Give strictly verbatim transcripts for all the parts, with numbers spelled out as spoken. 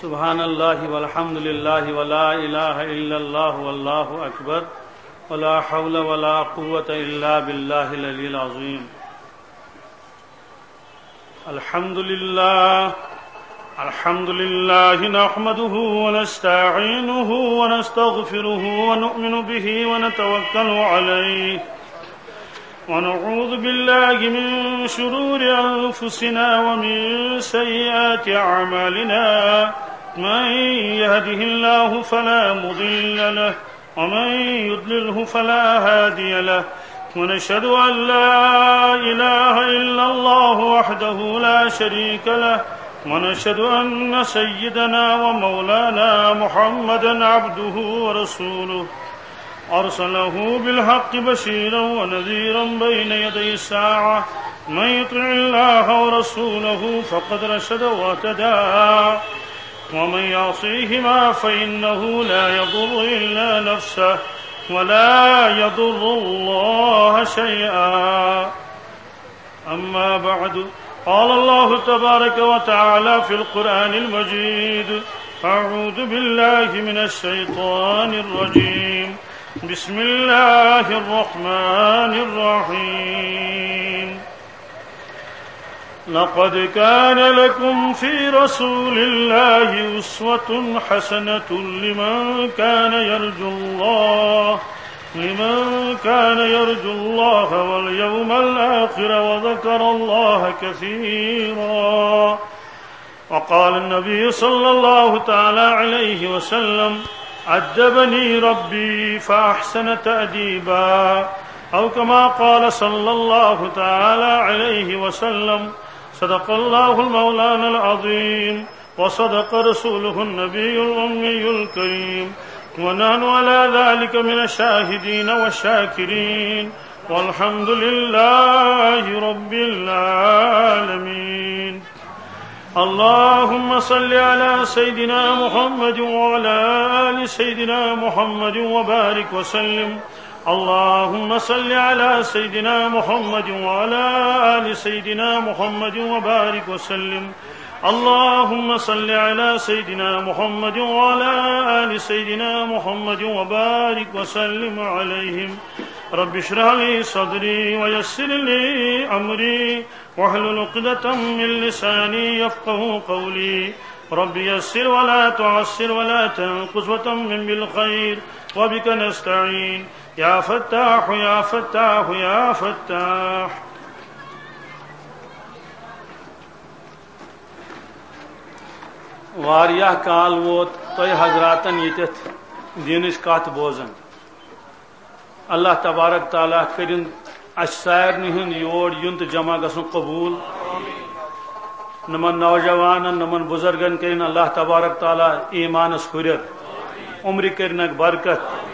سبحان الله والحمد لله ولا إله إلا الله والله أكبر ولا حول ولا قوة إلا بالله العلي العظيم. الحمد لله. الحمد لله نحمده ونستعينه ونستغفره ونؤمن به ونتوكل عليه. ونعوذ بالله من شرور أنفسنا ومن سيئات أعمالنا. من يهده الله فلا مضل له ومن يضلله فلا هادي له. ونشهد أن لا إله إلا الله وحده لا شريك له. ونشهد أن سيدنا ومولانا محمدا عبده ورسوله. أرسله بالحق بشيرا ونذيرا بين يدي الساعة. من يطع الله ورسوله فقد رشد واهتدى. ومن يعصيهما فإنه لا يضر إلا نفسه ولا يضر الله شيئا. أما بعد، قال الله تبارك وتعالى في القرآن المجيد: أعوذ بالله من الشيطان الرجيم. بسم الله الرحمن الرحيم. لقد كان لكم في رسول الله أسوة حسنة لمن كان يرجو الله، لمن كان يرجو الله واليوم الآخر وذكر الله كثيرا. وقال النبي صلى الله تعالى عليه وسلم: أدبني ربي فأحسن تأديبا، أو كما قال صلى الله تعالى عليه وسلم. صدق الله المولانا العظيم، وصدق رسوله النبي الأمي الكريم، ونحن على ذلك من الشاهدين والشاكرين، والحمد لله رب العالمين. اللهم صل على سيدنا محمد وعلى آل سيدنا محمد وبارك وسلم. اللهم صل على سيدنا محمد وعلى آل سيدنا محمد وبارك وسلم. اللهم صل على سيدنا محمد وعلى آل سيدنا محمد وبارك وسلم عليهم. رب اشرح لي صدري ويسر لي أمري واحلل عقدة من لساني يفقه قولي. رب يسر ولا تعسر ولا تنقص وتمم بالخير وبك نستعين. يا فتاح، يا فتاح، يا فتاح. واریاہ کال ووت تۄہہِ حضراتن ییٚتٮ۪تھ دیٖنٕچ کتھ بوزان۔ اللہ تبارک تعالیٰ کٔرِن اَسہِ سارنٕے ہُنٛد یور یُن تہٕ جمع گژھُن قبوٗل۔ نمن نوجوانن، نمن بزرگن کٔرِن اللہ تبارک تعالیٰ ایٖمانس ہُرٮ۪ر، عمرِ کٔرِنکھ برکت،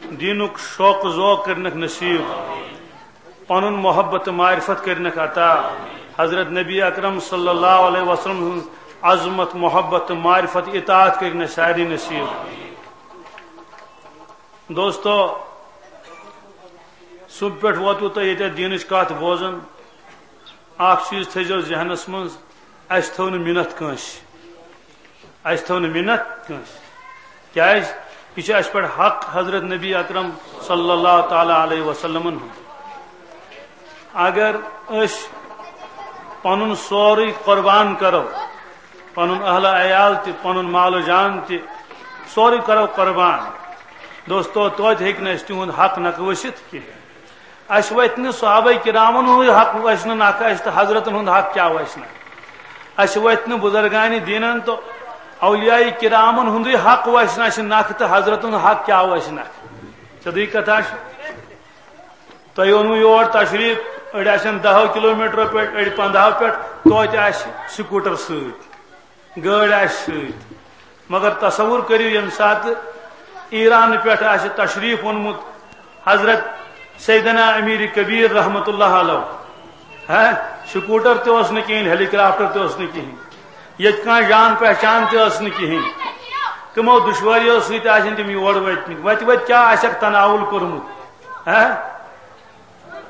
دیٖنُک شوق ذوق کٔرِنکھ نصیٖب، پنُن محبت تہٕ معرفت کٔرِنکھ عطا۔ حضرت نبی اکرم صلی اللہ علیہ وسلم ہٕنٛز عظمت، محبت تہٕ معرفت، اطاعت کٔرِنکھ سارنٕے نصیٖب۔ دوستو، صبح پٮ۪ٹھ ووتوٕ تۄہہِ ییٚتٮ۪تھ دیٖنٕچ کتھ بوزان۔ اکھ چیٖز تھٲیزیو ذہنس منٛز، اَسہِ تھٲو نہٕ مِنت کٲنٛسہِ۔ اَسہِ تھٲو نہٕ مِنت کٲنٛسہِ۔ کیٛازِ؟ یہِ چھُ اَسہِ پٮ۪ٹھ حق حضرت نبی اکرم صلی اللہ تعالیٰ علیہ وسلمن ہُنٛد۔ اگر أسۍ پنُن سورُے قربان کرو، پنُن اہل عیال تہِ، پنُن مال و جان تہِ، سورُے کرو قربان۔ دوستو، توتہِ ہیٚکہِ نہٕ اَسہِ تِہُنٛد حق نکھٕ ؤسِتھ کینٛہہ۔ اَسہِ وَتہِ نہٕ صحابہ کرامن ہُنٛدُے حق وَسہِ نہٕ نکھٕ، اَسہِ تہٕ حضرتن ہُنٛد حق کیٛاہ وَسہِ نکھٕ؟ اَسہِ وَتہِ نہٕ بزرگانِ دیٖنن تہٕ اولیاء کرامن ہُنٛدُے حق وَسہِ نہٕ اَسہِ نکھٕ تہٕ حضرتن ہُنٛد حق کیٛاہ وَسہِ نکھٕ؟ سیوٚدُے کتھا چھِ۔ تۄہہِ اوٚنوٕ یور تشریٖف، أڑۍ آسن دَہو کِلوٗ میٖٹرو پٮ۪ٹھ، أڑۍ پنٛداہو پٮ۪ٹھ، توتہِ آسہِ سکوٗٹر سۭتۍ، گٲڑۍ آسہِ سۭتۍ۔ مگر تصور کٔرِو، ییٚمہِ ساتہٕ ایرانہٕ پٮ۪ٹھ آسہِ تشریٖف اوٚنمُت حضرت سیدنا امیر کبیر رحمت اللہ علیہ، ہا، سکوٗٹر تہِ اوس نہٕ کِہیٖنۍ، ہیلی کاپٹر تہِ اوس نہٕ کِہیٖنۍ، ییٚتہِ کانٛہہ جان پہچان تہِ ٲس نہٕ کِہیٖنۍ، تِمو دُشواریو سۭتۍ آسن تِم یور وٲتمٕتۍ۔ وَتہِ وَتہِ کیٛاہ آسٮ۪کھ تناوُل کوٚرمُت، ہا؟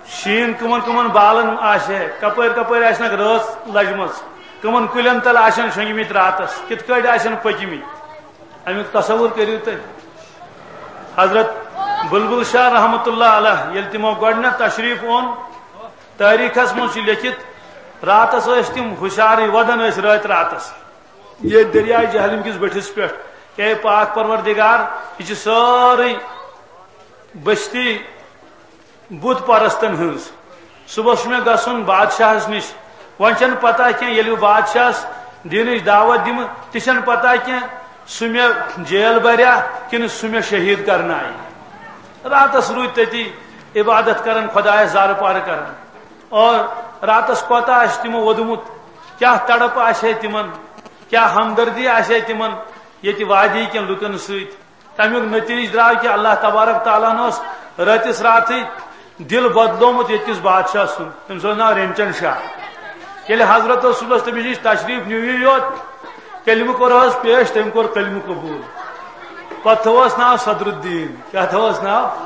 شیٖن کٕمن کٕمن بالن آسہِ ہے، کپٲرۍ کپٲرۍ آسہِ نکھ رٲژ لجمٕژ۔ کمن کُلٮ۪ن تل آسن شۄنگمٕتۍ راتس، کِتھ کٲٹھۍ آسن پٔکمٕتۍ، امیُک تصور کٔرِو تُہۍ۔ حضرت بلبل شاہ رحمت اللہ علیہ، ییٚلہِ تِمو گۄڈٕنٮ۪تھ تشریف اوٚن، تٲریخس منٛز چھُ لیٚکھِتھ، راتس ٲسۍ تِم ہُشارٕے، ودان ٲسۍ رٲتۍ راتس۔ ییٚتہِ دٔریاے جہلِم کِس بٔٹھِس پٮ۪ٹھ، اے پاک پروردگار، یہِ چھِ سٲرٕے بستی بت پرستن ہٕنٛز۔ صبحس چھُ مےٚ گژھُن بادشاہس نِش۔ وۄنۍ چھَنہٕ پتہ کینٛہہ، ییٚلہِ بہٕ بادشاہس دینٕچ دعوت دِمہٕ، تہِ چھَنہٕ پتہ کینٛہہ، سُہ مےٚ جیل بریا کِنہٕ سُہ مےٚ شہید کرنایہِ۔ راتس روٗدۍ تٔتی عبادت کران، خۄدایس زارٕ پارٕ کران۔ اور راتس کوتاہ آسہِ تِمو ووٚدمُت، کیٛاہ تڑپ آسہِ ہے تِمن، کیٛاہ ہمدردی آسہِ ہے تِمن ییٚتہِ وادی کٮ۪ن لُکن سۭتۍ۔ تمیُک نتیجہٕ درٛاو کہِ اللہ تبارک تعالیٰ ہن اوس رٲتِس راتھٕے دِل بدلومُت ییٚتہِ کِس بادشاہ سُنٛد۔ تٔمِس اوس ناو رینچن شاہ۔ ییٚلہِ حضرت اوس صُبحس تٔمِس نِش تشریٖف نیوٗ یوت، کلمہٕ کوٚر حظ پیش، تٔمۍ کوٚر کلمہٕ قبوٗل۔ پتہٕ تھوٚوہس ناو صدر الدین۔ کیٛاہ تھوٚوہس ناو؟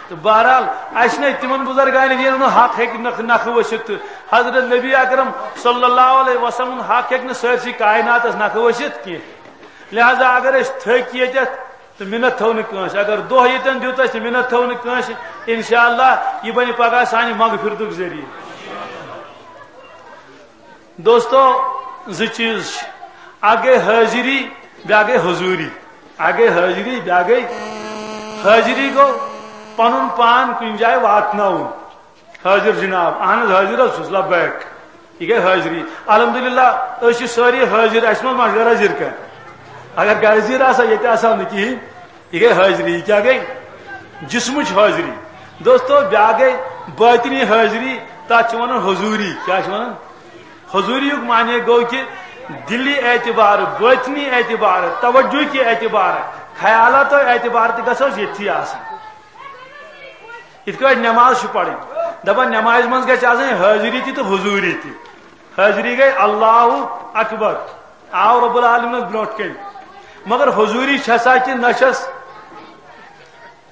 تہٕ بہرحال، اسہِ چھِنہٕ تِمن بُزرگانہِ دیٖنن ہُنٛد حق ہیٚکہِ نکھٕ، نکھٕ ؤسِتھ تہٕ حضرت نبی اکرم صلی اللہ علیہ وسلم ہُنٛد حق ہیٚکہِ نہٕ سٲرسٕے کایناتس نکھٕ ؤسِتھ کینٛہہ۔ لہذا اگر أسۍ تھٔکۍ ییٚتٮ۪تھ تہٕ مِنت تھٲو نہٕ کٲنٛسہِ، اگر دۄہ ییٚتٮ۪ن دیُت اَسہِ تہٕ مِنت تھٲو نہٕ کٲنٛسہِ، انشاءاللہ یہِ بنہِ پگاہ سانہِ مغفرتُک ذٔریعہٕ۔ دوستو، زٕ چیٖز چھِ، اکھ گٔے حٲضری، بیٛاکھ گٔے حضوٗری۔ اکھ گٔے حٲضری، بیٛاکھ گٔے حٲضری گوٚو پنُن پان کُنہِ جایہِ واتناوُن۔ حٲضِر جِناب، اَہَن حظ، حٲضِر حظ چھُس، لبیک۔ یہِ گٔے حٲضری۔ الحمدللہ، أسۍ چھِ سٲری حٲضِر، اَسہِ منٛز ما چھُ غٲر حٲضِر کانٛہہ؟ اگر غٲر حٲضِر آسہِ ہا، ییٚتہِ آسہِ ہا نہٕ کِہیٖنۍ۔ یہِ گٔے حٲضری۔ یہِ کیٛاہ گٔے؟ جسمٕچ حٲضری۔ دوستو، بیٛاکھ گٔے بٲطنی حٲضری، تَتھ چھِ وَنان حضوٗری۔ کیٛاہ چھِ وَنان؟ حضوٗریُک معنی گوٚو کہِ دِلی اعتبار، بٲطنی اعتبار، توجہ کہِ اعتبار، خیالاتو اعتبار تہِ گژھو أسۍ ییٚتھی آسٕنۍ۔ یِتھ کٲٹھۍ نماز چھِ پرٕنۍ، دپان نمازِ منٛز گژھِ آسٕنۍ حٲضری تہِ تہٕ حضوٗری تہِ۔ حٲضری گٔے اللہ اکبر، آو رب العالمینس برونٛٹھ کَنۍ، مگر حضوٗری چھسا کِنہٕ نہ چھس،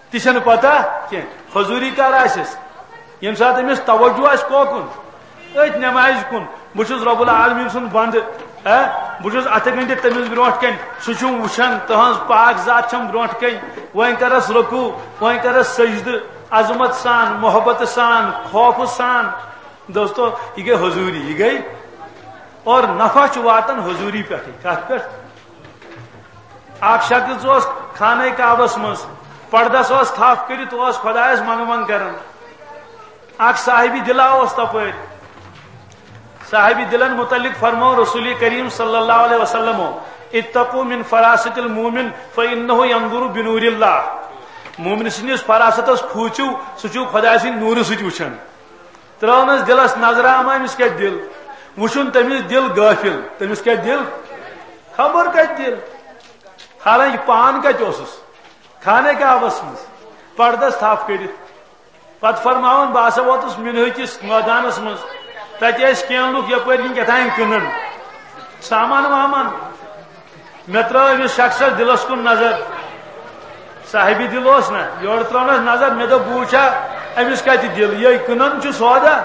تہِ چھنہٕ پتہ کینٛہہ۔ حضوٗری کر آسٮ۪س؟ ییٚمہِ ساتہٕ أمِس توجہ آسہِ کوکُن؟ أتھۍ نمازِ کُن۔ بہٕ چھُس رب العالمین سُنٛد بندٕ، ہے، بہٕ چھُس اَتھٕ گٔنٛڈِتھ تٔمِس برونٛٹھ کَنۍ، سُہ چھُم وٕچھان، تٕہٕنٛز پاک ذات چھَم برونٛٹھ کَنۍ۔ وۄنۍ کَرَس رکوع، وۄنۍ کَرَس سجدٕ، عظمت سان، محبت سان، خوف سان۔ دوستو، یہِ گٔے حضوٗری، یہِ گٔے۔ اور نفع چھُ واتان حضوٗری پٮ۪ٹھٕے۔ کَتھ پٮ۪ٹھ؟ اکھ شخص اوس خانہ کعبس منٛز، پردس اوس تھپھ کٔرِتھ، اوس خۄدایس منگہٕ منگ کران۔ اکھ صاحبِ دِلا اوس تپٲرۍ۔ صاحبِ دِلن متعلق فرموو رسول کریم صلی اللہ علیہ وسلمو، "اتقوا من فراست المومن فانہ ینظر بنور اللہ"۔ مومن سٕنٛدِس فراستس کھوٗژِو، سُہ چھُ خۄداے سٕنٛدِ نوٗرٕ سۭتۍ وٕچھان۔ ترٲونس دِلس نظرا، اما أمِس کیٛاہ دِل؟ وٕچھُن تٔمِس دِل غٲفِل۔ تٔمِس کیٛاہ دِل؟ خبر کتہِ دِل؟ حالانکہ پان کتہِ اوسُس؟ خانہ کعبس منٛز، پردس تھپھ کٔرِتھ۔ پتہٕ فرماوان، بہٕ ہسا ووتُس مِنہٕ کِس مٲدانس منٛز۔ تتہِ ٲسۍ کینٛہہ لُکھ یپٲرۍ کِنۍ کیٛاہ تام کٕنان۔ سامان وامان۔ مےٚ ترٲو أمِس شخصس دِلس کُن نظر۔ صاحبِ دِل اوس نا، یورٕ ترٲونس نظر، مےٚ دوٚپ، بہٕ وٕچھا أمِس کتہِ دِل، یہِ کٕنان چھُ سودا۔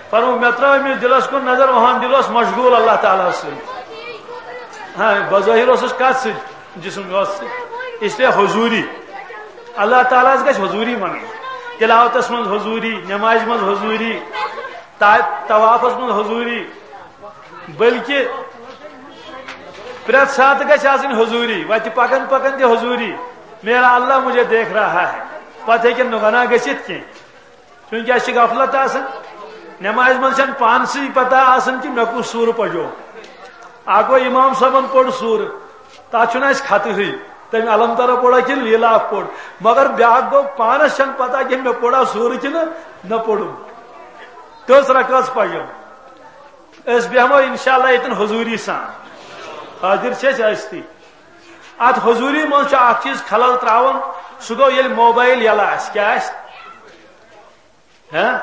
فرموو، مےٚ ترٲو أمِس دِلس کُن نظر، اُہُنٛد دِل اوس مشغول اللہ تعالیٰ ہس سۭتۍ۔ ہاں، بظٲہِر اوسُس کتھ سۭتۍ؟ جسم یوت۔ اس لیے حضوٗری، اللہ تعالیٰ ہس گژھِ حضوٗری منگٕنۍ۔ تلاوتس منٛز حضوٗری، نمازِ منٛز حضوٗری، تا-، طوافس منٛز حضوٗری، بلکہ پرٛٮ۪تھ ساتہٕ گژھِ آسٕنۍ حضوٗری، وتہِ پکان پکان تہِ حضوٗری۔ میرا اللہ مجھے دیکھ رہا ہے۔ پتہٕ ہیٚکن نہٕ گۄناہ گٔژھِتھ کینٛہہ۔ چونکہ اَسہِ چھِ غفلت آسان، نمازِ منٛز چھَنہٕ پانسٕے پتہ آسان کہِ مےٚ کُس سوٗرٕ پَجو۔ اَکھ گوٚو اِمام صٲبَن پوٚر سوٗرٕ، تَتھ چھُنہٕ اَسہِ خطہٕے، تٔمۍ الم ترہ پوٚرا کِنہٕ لیٖلاف پوٚر۔ مگر بیٛاکھ گوٚو پانَس چھَنہٕ پتہ کہِ مےٚ پوٚرا سوٗرٕ کِنہٕ نہ پوٚرُم، کٔژ رکٲژ پَجَم۔ أسۍ بیٚہمو انشاءاللہ ییٚتٮ۪ن حضوٗری سان، حٲضِر چھِ أسۍ ٲسۍتھٕے۔ اَتھ حضوٗری منٛز چھُ اَکھ چیٖز خلل ترٛاوان، سُہ گوٚو ییٚلہِ موبایل یَلہٕ آسہِ، کیٛاہ آسہِ؟ ہہ؟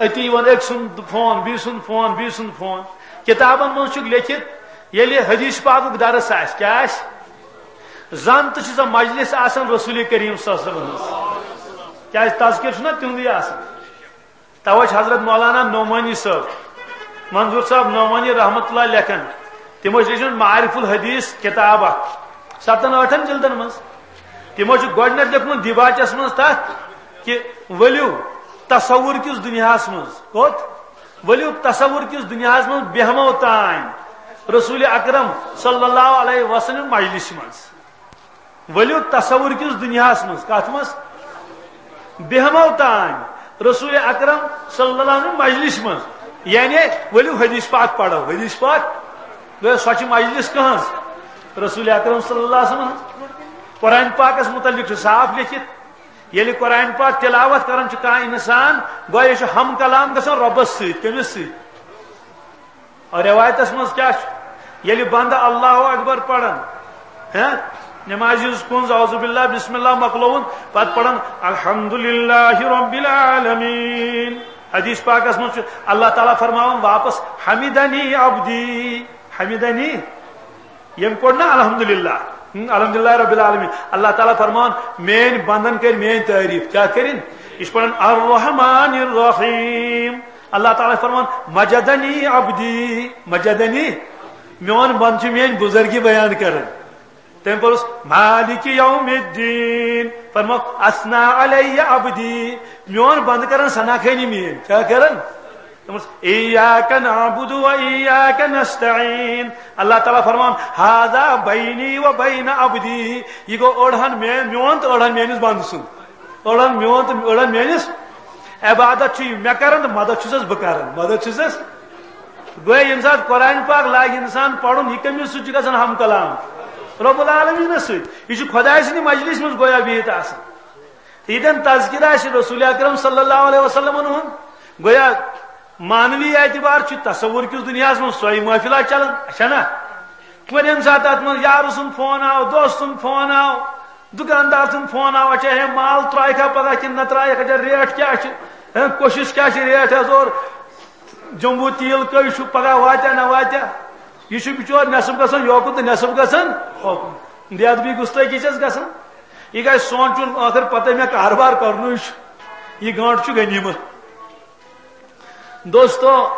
أتی یِوان أکۍ سُنٛد فون، بیٚیہِ سُنٛد فون، بیٚیہِ سُنٛد فون۔ کِتابَن منٛز چھُکھ لیٚکھِتھ، ییٚلہِ حدیث پاکُک درس آسہِ، کیٛاہ آسہِ؟ زَن تہِ چھِ سۄ مجلس آسان رسول کریم صلی اللہ علیہ وسلم ہٕنٛز۔ کیٛازِ تذکر چھُنہ تِہُنٛدُے آسان۔ توے چھُ حضرت مولانا نعمانی صٲب منظور صاحب نعمانی رحمت اللہ لیکھان، تِمو چھِ لیچھمٕژ معارف الحدیث کِتاب اکھ، ستن ٲٹھن جلدن منٛز۔ تِمو چھُ گۄڈٕنیتھ لیوٚکھمُت دیباچس منٛز تتھ کہِ ؤلِو تصور کِس دُنیاہس منٛز۔ کوٚت؟ ؤلِو تصور کِس دُنیاہس منٛز بیہمو تام رسول اکرم صلی اللہ علیہ وسلم مجلس منٛز۔ ؤلِو تصور کِس دُنیاہس منٛز۔ کتھ منٛز؟ بیہمو تام رسول اکرم صلی اللہ علیہ وسلم مجلس منٛز۔ یعنی ؤلِو حدیث پاک پرو، حدیث پاک۔ گویا سۄ چھِ مجلس کہنٛز؟ رسول اکرم صلی اللہ علیہ وسلم۔ قرآن پاکس متعلق چھُ صاف لیکھِتھ، ییٚلہِ قرآن پاک تلاوت کران چھُ کانٛہہ انسان، گویا یہِ چھُ ہم کلام گژھان رۄبس سۭتۍ۔ کٔمِس سۭتۍ؟ اور روایتس منٛز کیٛاہ چھُ؟ ییٚلہِ بندٕ اللہ اکبر پران، ہہ، نمازِ ہٕنٛز کُنٛز اعوذ باللہ بسم اللہ مۄکلووُن، پتہٕ پران الحمدللہ رب العالمین۔ حدیث پاکس منٛز چھُ اللہ تعالیٰ فرماوان واپس، حمدنی عبدی، حمدنی، ییٚمۍ پوٚر نا الحمدللہ، ہم، الحمدللہ رب العالمین، اللہ تعالیٰ فرماوان، میٲنۍ بندن کٔرۍ میٲنۍ تعریف۔ کیٛاہ کٔرِن؟ یہِ چھُ پران الرحمن الرحیم۔ اللہ تعالیٰ فرماوان، مجدنی عبدی، مجدنی، میون بند چھُ میٲنۍ بزرگی بیان کران۔ تٔمۍ پوٚرُس، مالک یوم الدین، فرموو، اثنا علی عبدی، میون بند کران ثنا خٲنی میٲنۍ۔ کیٛاہ کران؟ دوٚپمَس، ایاک نعبد و ایاک نستعین۔ اللہ تعالیٰ فرمان، ہذا بینی و بین عبدی۔ یہِ گوٚو أڑہَن مے-، میون تہٕ أڑہَن میٲنِس بندٕ سُنٛد۔ أڑہَن میون تہٕ أڑہَن میٲنِس۔ عبادت چھُ یہِ مےٚ کران تہٕ مدد چھُسَس بہٕ کران۔ مدد چھُسَس۔ گویا ییٚمہِ ساتہٕ قرآن پاک لاگہِ اِنسان پرُن، یہِ کٔمِس سۭتۍ چھُ گژھان ہم کلام؟ رب العالمینَس سۭتۍ۔ یہِ چھُ خۄداے سٕنٛدِ مجلس منٛز گویا بِہِتھ آسان۔ ییٚتٮ۪ن تذکرہ آسہِ رسول اکرم صلی اللہ علیہ وسلمن ہُنٛد، گویا معنوی اعتبار چھُ تصور کِس دُنیاہَس منٛز سۄے محفلہ چلان، اچھا نا؟ وۄنۍ ییٚمہِ ساتہٕ اَتھ منٛز یارٕ سُنٛد فون آو، دوست سُنٛد فون آو، دُکاندار سُنٛد فون آو، اچھا ہے مال ترٛایہِ کھا پگاہ کِنہٕ نہ ترٛایَکھ، اچھا ریٹ کیٛاہ چھِ، ہے کوشش کیٛاہ چھِ ریٹ حظ، اور جمبو تیٖل کٔہۍ چھُ، پگاہ واتیٛا نہ واتیٛا؟ یہِ چھُ بِچور نٮ۪صٕف گژھان یوکُن تہٕ نٮ۪صٕف گژھان ہوکُن۔ بے ادبی گُستٲخی چھَس گژھان۔ یہِ گژھِ سونٛچُن، ٲخٕر پتہٕ مےٚ کاربار کرنُے چھُ، یہِ گٲنٛٹ چھُ غنیٖمت۔ دوستو،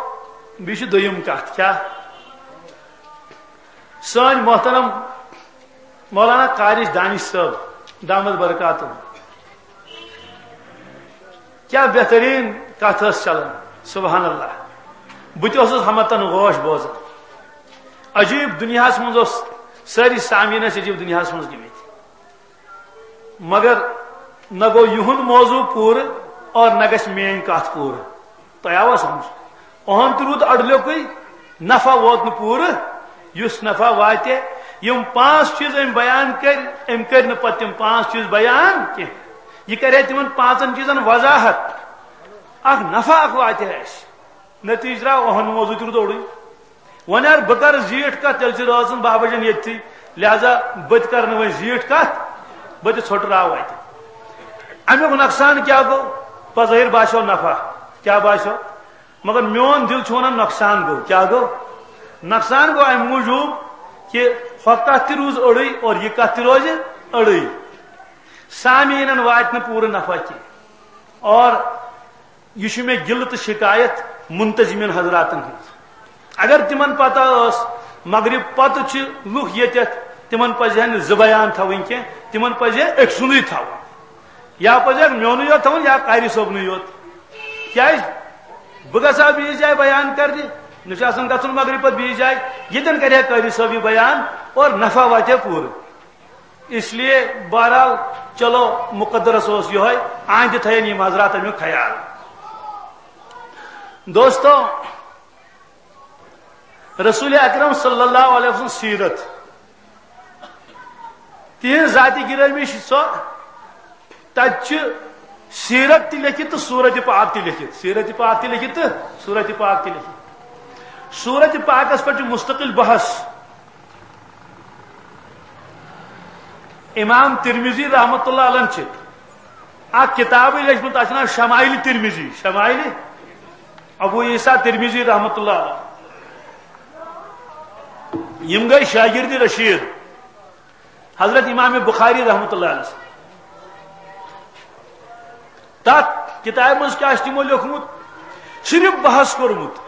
بیٚیہِ چھِ دوٚیِم کتھ، کیٛاہ؟ سٲنۍ محترم مولانا قارش دانش صٲب، دامت برکاتہم، کیٛاہ بہتریٖن کتھ ٲس چلان، سبحان اللہ۔ بہٕ تہِ اوسُس ہمتن غوش بوزان۔ عجیٖب دُنیاہس منٛز اوس، سٲری سامعیٖن ٲسۍ عجیٖب دُنیاہس منٛز گٔمٕتۍ۔ مگر نہ گوٚو یِہُنٛد موضوع پوٗرٕ اور نہ گژھِ میٲنۍ کتھ پوٗرٕ۔ تۄہہِ آوا سمجھ؟ اُہُنٛد تہِ روٗد اڈٕلیوٚکُے، نفع ووت نہٕ پوٗرٕ۔ یُس نفع واتہِ، یِم پانٛژھ چیٖز أمۍ بیان کٔرۍ، أمۍ کٔرۍ نہٕ پتہٕ تِم پانٛژھ چیٖز بیان کینٛہہ۔ یہِ کرِ ہے تِمن پانٛژن چیٖزن وضاحت۔ اکھ نفع اکھ واتہِ ہے اَسہِ۔ نتیجہٕ درٛاو اُہُنٛد موضوع تہِ روٗد اوٚڑُے۔ وۄنۍ اگر بہٕ کرٕ زیٖٹھ کتھ، تیٚلہِ چھِ رٲژ ہٕنٛز بابا جان ییٚتھی، لہذا بہٕ تہِ کرٕ نہٕ وۄنۍ زیٖٹھ کتھ، بہٕ تہِ ژھۄٹراو اتہِ۔ امیُک نۄقصان کیٛاہ گوٚو؟ بظٲہر باسیو نفع، کیٛاہ باسیو؟ مگر میون دل چھُ ونان نۄقصان گوٚو۔ کیٛاہ گوٚو؟ نۄقصان گوٚو امہِ موٗجوٗب کہِ ہۄ کتھ تہِ روٗز أڑٕے اور یہِ کتھ تہِ روزِ أڑٕے۔ سامعیٖنن واتہِ نہٕ پوٗرٕ نفع کینٛہہ۔ اور یہِ چھُ مےٚ گِلہٕ تہٕ شکایت منتظمین حضراتن ہٕنٛز۔ اگر تِمن پتہ ٲس مغرب پتہٕ چھِ لُکھ ییٚتٮ۪تھ، تِمن پزِ ہا نہٕ زٕ بیان تھاوٕنۍ کینٛہہ، تِمن پزِ ہا أکۍ سُنٛدُے تھاوُن۔ یا پزِ ہا میونُے یوت تھاوُن یا قاری صٲبنُے یوت۔ کیٛازِ؟ بہٕ گژھٕ ہا بیٚیِس جایہِ بیان کرنہِ، مےٚ چھُ آسان گژھُن مغرب پتہٕ بیٚیِس جایہِ، ییٚتٮ۪ن کرِ ہا قاری صٲب یہِ بیان اور نفع واتہِ ہا پوٗرٕ۔ اس لیے بہرحال چلو مقدرس اوس یہے، آئندٕ تھاین یِم حضرات امیُک خیال۔ دوستو، رسول اکرم صلی اللہ علیہ وسلم سیرت، تہنٛز ذاتِ گرامی چھِ سۄ، تتہِ چھِ سیرت تہِ لیکھِتھ تہٕ صورت پاک تہِ لیکھِتھ، سیرت پاک تہِ لیکھِتھ تہٕ صورت پاک تہِ لیکھِتھ۔ صورت پاکس پٮ۪ٹھ چھُ مستقل بحث۔ امام ترمذی رحمت اللہ علیہ چھِ اکھ کتابٕے لیچھمٕژ، تتھ چھُ ناو شمائل ترمذی، شمائل ابو عیسیٰ ترمذی رحمت اللہ علیہ۔ یِم گٔے شاگرد رشید حضرت امام بخاری رحمت اللہ علیہ۔ تتھ کتابہِ منٛز کیٛاہ چھُ تِمو لیوٚکھمُت؟ صرف بحث کوٚرمُت۔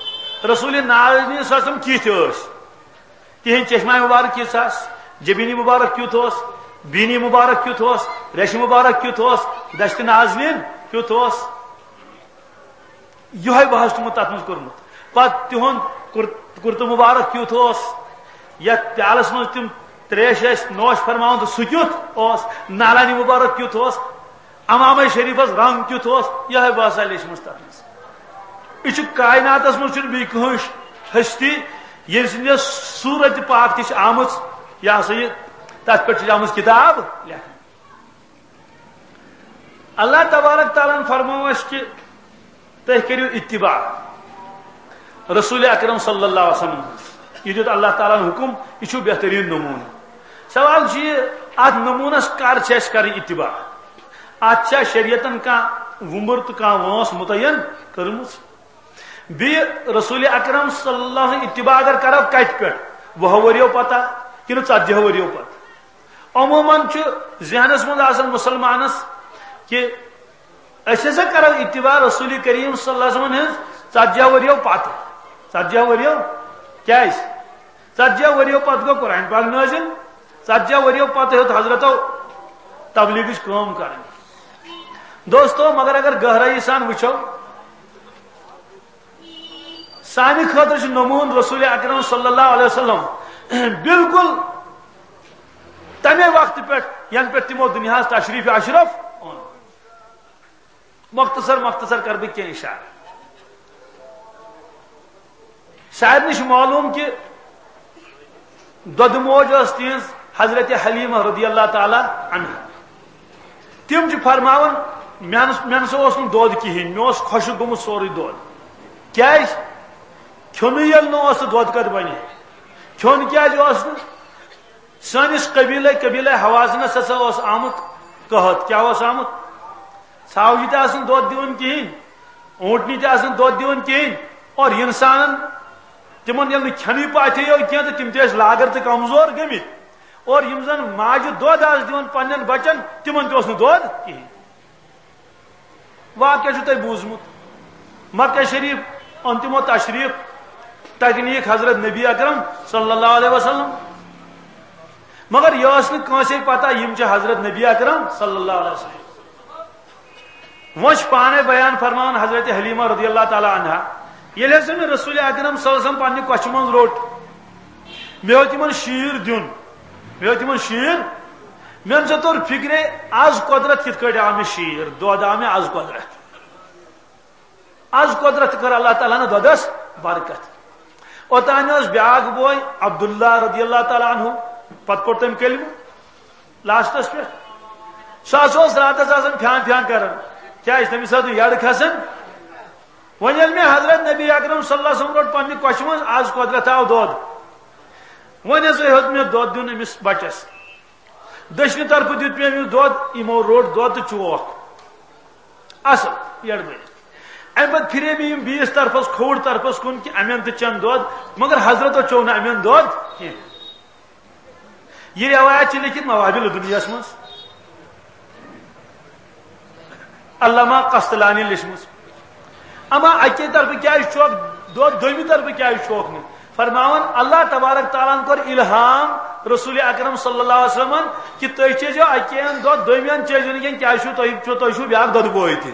رسول نازنین صلی اللہ علیہ وسلم کِتھۍ ٲسۍ؟ تِہنٛدۍ چشمہ مبارک کِژھ آسہٕ؟ جبینی مبارک کیُتھ اوس؟ بینی مبارک کیُتھ اوس؟ ریشہِ مبارک کیُتھ اوس؟ دشت نازنین کیُتھ اوس؟ یِہوٚے بحث چھُ تِمو تَتھ منٛز کوٚرمُت۔ پتہٕ تِہُنٛد کُر-، کُرتہٕ مُبارک کیُتھ اوس، یَتھ پیالَس منٛز تِم ترٛیش ٲسۍ نوش فرماوان، تہٕ سُہ کیُتھ اوس، نالانی مُبارک کیُتھ اوس، عمامَے شریٖفَس رنٛگ کیُتھ اوس، یِہوٚے بحثا لیچھمٕژ تَتھ منٛز۔ یہِ چھُ کائناتَس منٛز چھُنہٕ بیٚیہِ کٕہٕنۍ ہستی، ییٚمہِ سٕنٛدِ صوٗرتِ پاک تہِ چھِ آمٕژ، یہِ ہسا یہِ، تَتھ پٮ۪ٹھ چھِ آمٕژ کِتاب لیکھنہٕ۔ اللہ تبارک تعالیٰ ہن فرموو اسہِ کہ تُہۍ کٔرِو اتباع رسول اکرم صلی اللہ علیہ وسلم۔ یہِ دیُت اللہ تعالیٰ ہن حکم، یہِ چھُ بہتریٖن نموٗنہٕ۔ سوال چھُ یہِ، اتھ نموٗنس کر چھِ اسہِ کرٕنۍ اتباع؟ اتھ چھا شریعتن کانٛہہ وُمبُر تہٕ کانٛہہ وٲنٛس مُتعین کٔرمٕژ؟ بیٚیہِ رسول اکرم صلی اللہ علیہ وسلم اتباع اگر کرو، کتہِ پٮ۪ٹھ؟ وُہو ؤرِیو پتہ کِنہٕ ژتجی ؤرِیو پتہٕ؟ عموماً چھُ ذہنس منٛز آسان مُسلمانس کہ أسۍ ہسا کرو اتباع رسول کریم صلی اللہ علیہ وسلم ہٕنٛز ژتجی ؤرِیو پتہٕ۔ ژتجی ؤرِیو؟ کیازِ؟ ژتجی ؤرِیو پتہٕ گوٚو قرآن پاک نٲزِل، ژتجی ؤرِیو پتہٕ ہیوٚت حضرتو تبلیغٕچ کٲم کرٕنۍ۔ دوستو، مگر اگر گہرٲیی سان وٕچھو، سانہِ خٲطرٕ چھُ نموٗنہٕ رسول اکرم صلی اللہ علیہ وسلم بالکل تمے وقتہٕ پٮ۪ٹھ، ینہٕ پٮ۪ٹھ تِمو دُنیاہس تشریف اشرف اوٚن۔ مختصر مختصر کرٕ بہٕ کینٛہہ اشارٕ۔ سارنٕے چھُ معلوم کہِ دۄدٕ موج ٲس تِہنٛز حضرت حلیمہ رضی اللہ تعالیٰ عنہا۔ تِم چھِ فرماوان، مےٚ نس-، مےٚ نسا اوس نہٕ دۄد کِہیٖنۍ، مےٚ اوس خۄشک گوٚمُت سورُے دۄد۔ کیازِ؟ کھیوٚنُے ییٚلہِ نہٕ اوس، تہٕ دۄد کتہِ بنہِ؟ کھیوٚن کیازِ اوس نہٕ؟ سٲنِس قبیلے، قبیلے حوازنس ہسا اوس آمُت قحط۔ کیٛاہ اوس آمُت؟ ژھاوجہِ تہِ آسہٕ نہٕ دۄد دِوان کِہیٖنۍ، اوٗنٹنہِ تہِ آسہٕ نہٕ دۄد دِوان کِہیٖنۍ، اور انسانن، تِمن ییٚلہِ نہٕ کھٮ۪نٕے پاتھے یو کینٛہہ، تہٕ تِم تہِ ٲسۍ لاگر تہٕ کمزور گٔمٕتۍ، اور یِم زن ماجہِ دۄد آسہٕ دِوان پننٮ۪ن بچن، تِمن تہِ اوس نہٕ دۄد کِہیٖنۍ۔ واقعہ چھُ تۄہہِ بوٗزمُت، مکہ شریف اوٚن تِمو تشریف، تتہِ نِیِکھ حضرت نبی اکرم صلی اللہ علیہ وسلم، مگر یہِ ٲس نہٕ کٲنٛسے پتہ یِم چھِ حضرت نبی اکرم صلی اللہ علیہ وسلم۔ وۄنۍ چھُ پانے بیان فرماوان حضرت حلیمہ رضی اللہ تعالیٰ عنہا، ییٚلہِ ہسا مےٚ رسول اکرم صلی اللہ علیہ وسلم پننہِ کۄچھہِ منٛز روٚٹ، مےٚ ہیوٚت یِمن شیٖر دیُن، مےٚ ہیوٚت یِمن شیٖر، مےٚ نسا توٚر فکرے، از قۄدرت کِتھ کٲٹھۍ آو مےٚ شیٖر، دۄد آو مےٚ از قۄدرت۔ از قۄدرت کٔر اللہ تعالیٰ ہن دۄدس برکت۔ اوتانۍ اوس بیاکھ بوے عبداللہ رضی اللہ تعالیٰ عنہ، پتہٕ پوٚر تٔمۍ کلمہٕ لاسٹس پٮ۪ٹھ۔ سُہ ہسا اوس راتس آسان پھیان پھیان کران، کیازِ تٔمِس ٲس نہٕ یڈ کھسان۔ وۄنۍ ییٚلہِ مےٚ حضرت نبی اکرم صلی اللہ علیہ وسلم روٚٹ پننہِ کۄچھہِ منٛز، از قۄدرت آو دۄد، وۄنۍ ہسا ہیوٚت مےٚ دۄد دیُن أمِس بچس۔ دٔچھنہِ طرفہٕ دیُت مےٚ أمِس دۄد، یِمو روٚٹ دۄد تہٕ چوکھ اصل یڈ بٔرِتھ۔ امہِ پتہٕ پھرے مےٚ یِم بیٚیِس طرفس، کھووُر طرفس کُن، کہِ امٮ۪ن تہِ چٮ۪ن دۄد، مگر حضرتو چوٚو نہٕ امٮ۪ن دۄد کینٛہہ۔ یہِ روایت چھِ لیکھِتھ موابل دنیاہس منٛز۔ علامہ قسطلانی لیچھمٕژ۔ اما اکی طرفہٕ کیازِ چھوکھ دۄد، دوٚیمہِ طرفہٕ کیازِ چھوکھ نہٕ؟ فرماوان، اللہ تبارک تعالیٰ ہن کوٚر الہام رسول اکرم صلی اللہ علیہ وسلمن کہِ تُہۍ چیزیو اکی اَن دۄد، دوٚیمہِ اَن چیزیو نہٕ کینٛہہ، کیازِ چھُو تُہۍ، چھُو، تُہۍ چھُو بیاکھ دۄدٕ بوے تہِ،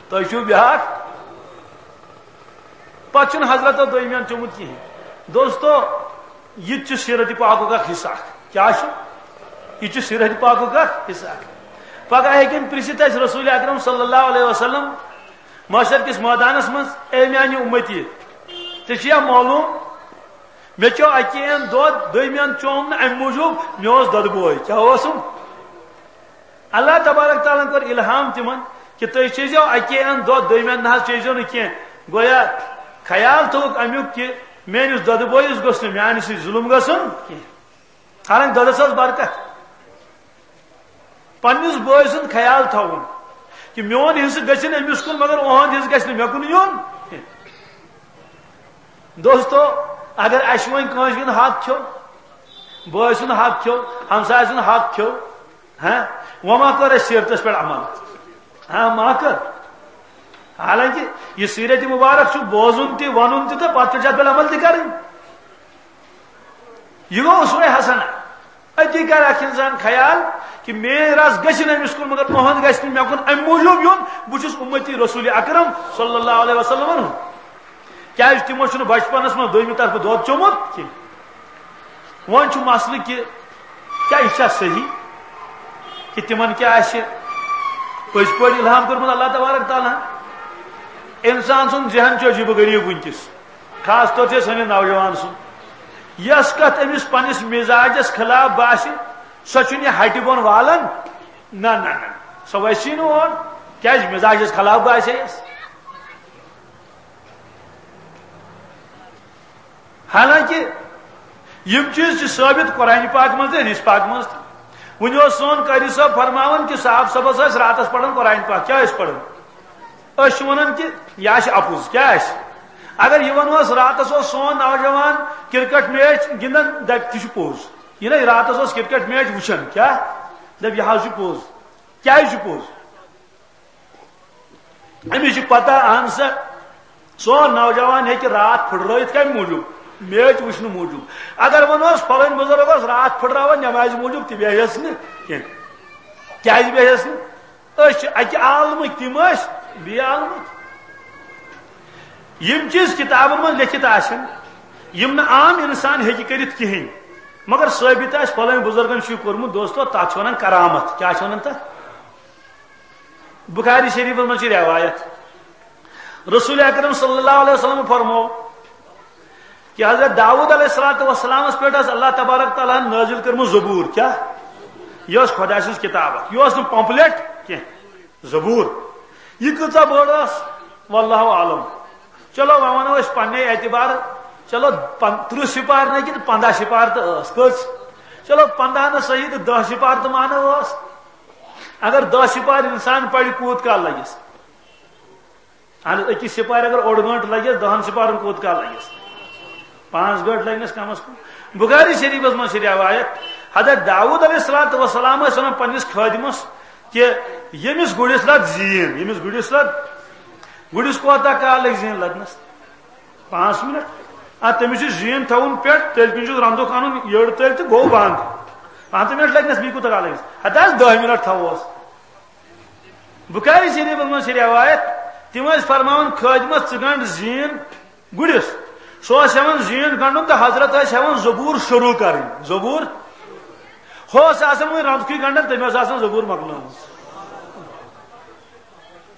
تُہۍ چھُو بیاکھ۔ پتہٕ چھُنہٕ حضرتو دوٚیمہِ اَن چوٚمُت کِہیٖنۍ۔ دوستو، یہِ تہِ چھُ سیرت پاکُک اکھ حصہٕ اکھ۔ کیٛاہ چھُ؟ یہِ چھُ سیرت پاکُک اکھ حصہٕ اکھ۔ پگاہ ہیٚکن پرژھِتھ اَسہِ رسول اکرم صلی اللہ علیہ وسلم محشر کِس مٲدانس منٛز، "اے میانہِ اُمتی، ژےٚ چھُیا معلوم، مےٚ چیوٚو اَکی اَن دۄد، دوٚیمہِ اَن چوم نہٕ اَمہِ موٗجوٗب، مےٚ اوس دۄدٕ بوے۔" کیٛاہ اوسُم؟ اللہ تبارک تعالیٰ ہن کوٚر الہام تِمن کہِ تُہۍ چیزیو اَکی اَن دۄد، دوٚیمہِ اَن نہ حظ چیزیو نہٕ کینٛہہ۔ گویا خیال تھوٚوُکھ اَمیُک کہِ میٲنِس دۄدٕ بویِس گوٚژھ نہٕ میانہِ سۭتۍ ظُلُم گژھُن کینٛہہ۔ حالانکہ دۄدس ٲس برکت۔ پننِس بٲے سُنٛد خیال تھاوُن کہِ میون حصہٕ گژھِ نہٕ أمِس کُن، مگر اُہُنٛد حصہٕ گژھِ نہٕ مےٚ کُن یُن۔ دوستو، اگر اَسہِ وۄنۍ کٲنٛسہِ ہُنٛد حق کھیوٚو، بٲے سُنٛد حق کھیوٚو، ہمسایہِ سُنٛد حق کھیوٚو، ہاں، وۄنۍ ما کٔر اَسہِ سیرتس پٮ۪ٹھ عمل؟ ہاں، ما کٔر؟ حالانکہ یہ سیرت مبارک چھُ بوزُن تہِ، ونُن تہِ تہٕ پتہٕ چھُ اتھ پٮ۪ٹھ عمل تہِ کرٕنۍ۔ یہ گوٚو اسوہ حسنہ۔ أتی کرِ اکھ انسان خیال کہ میٲنۍ رژھ گژھِ نہٕ أمِس کُن، مگر تُہنٛد گژھِ نہٕ مےٚ کُن، امہِ موٗجوٗب یُن، بہٕ چھُس اُمتی رسول اکرم صلی اللہ علیہ وسلم۔ کیازِ تِمو چھُنہٕ بچپنس منٛز دوٚیمہِ طرفہٕ دۄد چوٚمُت کینٛہہ۔ وۄنۍ چھُ مسلہٕ کہِ کیٛاہ یہِ چھا صحیح کہِ تِمن کیٛاہ آسہِ پٔزۍ پٲٹھۍ الہام کوٚرمُت اللہ تبارک تعالیٰ ہن؟ انسان سُنٛد ذہن چھُ عجیٖب و غریٖب وٕنکیٚس، خاص طور چھُ سٲنِس نوجوان سُنٛد۔ یۄس کتھ أمِس پننِس مزاجس خلاف باسہِ، سۄ چھُنہٕ یہِ ہٹہِ بۄن والان۔ نہ، نہ، نہ، سۄ وسی نہٕ اور۔ کیٛازِ؟ مزاجس خلاف باسے یس۔ حالانکہ یم چیز چھ ثابت قرآن پاک منٛز تہٕ حدیث پاک منٛز تہِ۔ وُنہِ اوس سون قاری صٲب فرماوان کہ صاحب صٲبس ٲسۍ راتس پران قرآن پاک۔ کیٛاہ ٲسۍ پران؟ أسۍ چھِ ونان کہ یہِ آسہِ اپُز۔ کیٛاہ آسہِ؟ اگر یہِ ونوس راتس اوس سون نوجوان کرکٹ میچ گنٛدان، دپہِ تہِ چھُ پوٚز۔ یہِ نَے راتس اوس کرکٹ میچ وٕچھان، کیٛاہ؟ دپہِ یہِ حظ چھُ پوٚز۔ کیٛازِ چھُ پوٚز؟ أمِس چھِ پتہ، اہن سا، سون نوجوان ہیٚکہِ راتھ پھٕٹرٲیِتھ کَمہِ موٗجوٗب؟ میچ وٕچھنہٕ موٗجوٗب۔ اگر وۄنۍ اوس فلٲنۍ بُزرگ اوس راتھ پھٕٹراوان نٮ۪مازِ موٗجوٗب، تہِ بیٚہہِ ہس نہٕ کینٛہہ۔ کیٛازِ بیٚہہِ ہس نہٕ؟ أسۍ چھِ اَکہِ عالمٕکۍ، تِم ٲسۍ بیٚیہِ عالمٕکۍ۔ یِم چیٖز کِتابَن منٛز لیٚکھِتھ آسن، یِم نہٕ عام اِنسان ہیٚکہِ کٔرِتھ کِہیٖنۍ، مگر ثٲبِت آسہِ فلٲنۍ بُزرگن چھُ یہِ کوٚرمُت، دوستو، تَتھ چھِ وَنان کرامت۔ کیٛاہ چھِ وَنان تَتھ؟ بخاری شریفس منٛز چھِ روایت، رسول اکرم صلی اللہ علیہ وسلم فرمو کہ حضرت داؤد علیہ الصلوۃ والسلامس پٮ۪ٹھ ٲس اللہ تبارک تعالیٰ ہن نازل کٔرمٕژ زبور۔ کیٛاہ؟ یہِ ٲس خۄداے سٕنٛز کتاب اکھ، یہِ ٲس نہٕ پمفلٹ کینٛہہ، زبور۔ یہِ کۭژاہ بٔڑ ٲس، واللہ عالم۔ چلو، وۄنۍ ونو أسۍ پننے اعتبار، چلو، پن-، ترٕٛہ سپار نہٕ کینٛہہ، پنٛداہ سپار تہٕ ٲس۔ کٔژ؟ چلو، پنٛداہ نہٕ صحیح تہٕ دَہ سپار تہٕ مانو ٲس۔ اگر دَہ سپار انسان پرِ، کوٗت کال لگس؟ اہن حظ، أکِس سپارِ اگر اوٚڑ گٲنٹہٕ لگس، دَہن سپارن کوٗت کال لگس؟ پانٛژھ گٲنٹہٕ لگنس کم از کم۔ بخاری شریفس منٛز چھِ روایت، حضرت داؤد علیہ الصلوۃ والسلام ٲسۍ ونان پننِس خٲدمس کہ ییٚمِس گُرِس لد زیٖن، ییٚمِس گُرِس لد، گُرِس کوتاہ کال لگہِ زیٖن لدنس؟ پانٛژھ منٹ۔ آ، تٔمِس چھُ زیٖن تھاوُن پٮ۪ٹھ، تیٚلہِ کِنۍ چھُس رنٛدُک اَنُن یٔڑ تٔلۍ تہٕ گوٚو بنٛد۔ پانٛژھ منٹ لگنس، بیٚیہِ کوٗتاہ کال لگس؟ ہتہٕ حظ دَہ منٹ تھاووس۔ بخاری شریفس منٛز چھِ روایت، تِم ٲسۍ فرماوان خٲدمس، "ژٕ گنٛڈ زیٖن گُرِس۔" سُہ اوس ہٮ۪وان زیٖن گنٛڈُن تہٕ حضرت ٲسۍ ہٮ۪وان زبور شروع کرٕنۍ۔ زبور؟ ہُہ اوس آسان وۄنۍ رنٛدکھٕے گنٛڈان، تٔمۍ ٲس آسان زبور مۄکلٲومٕژ۔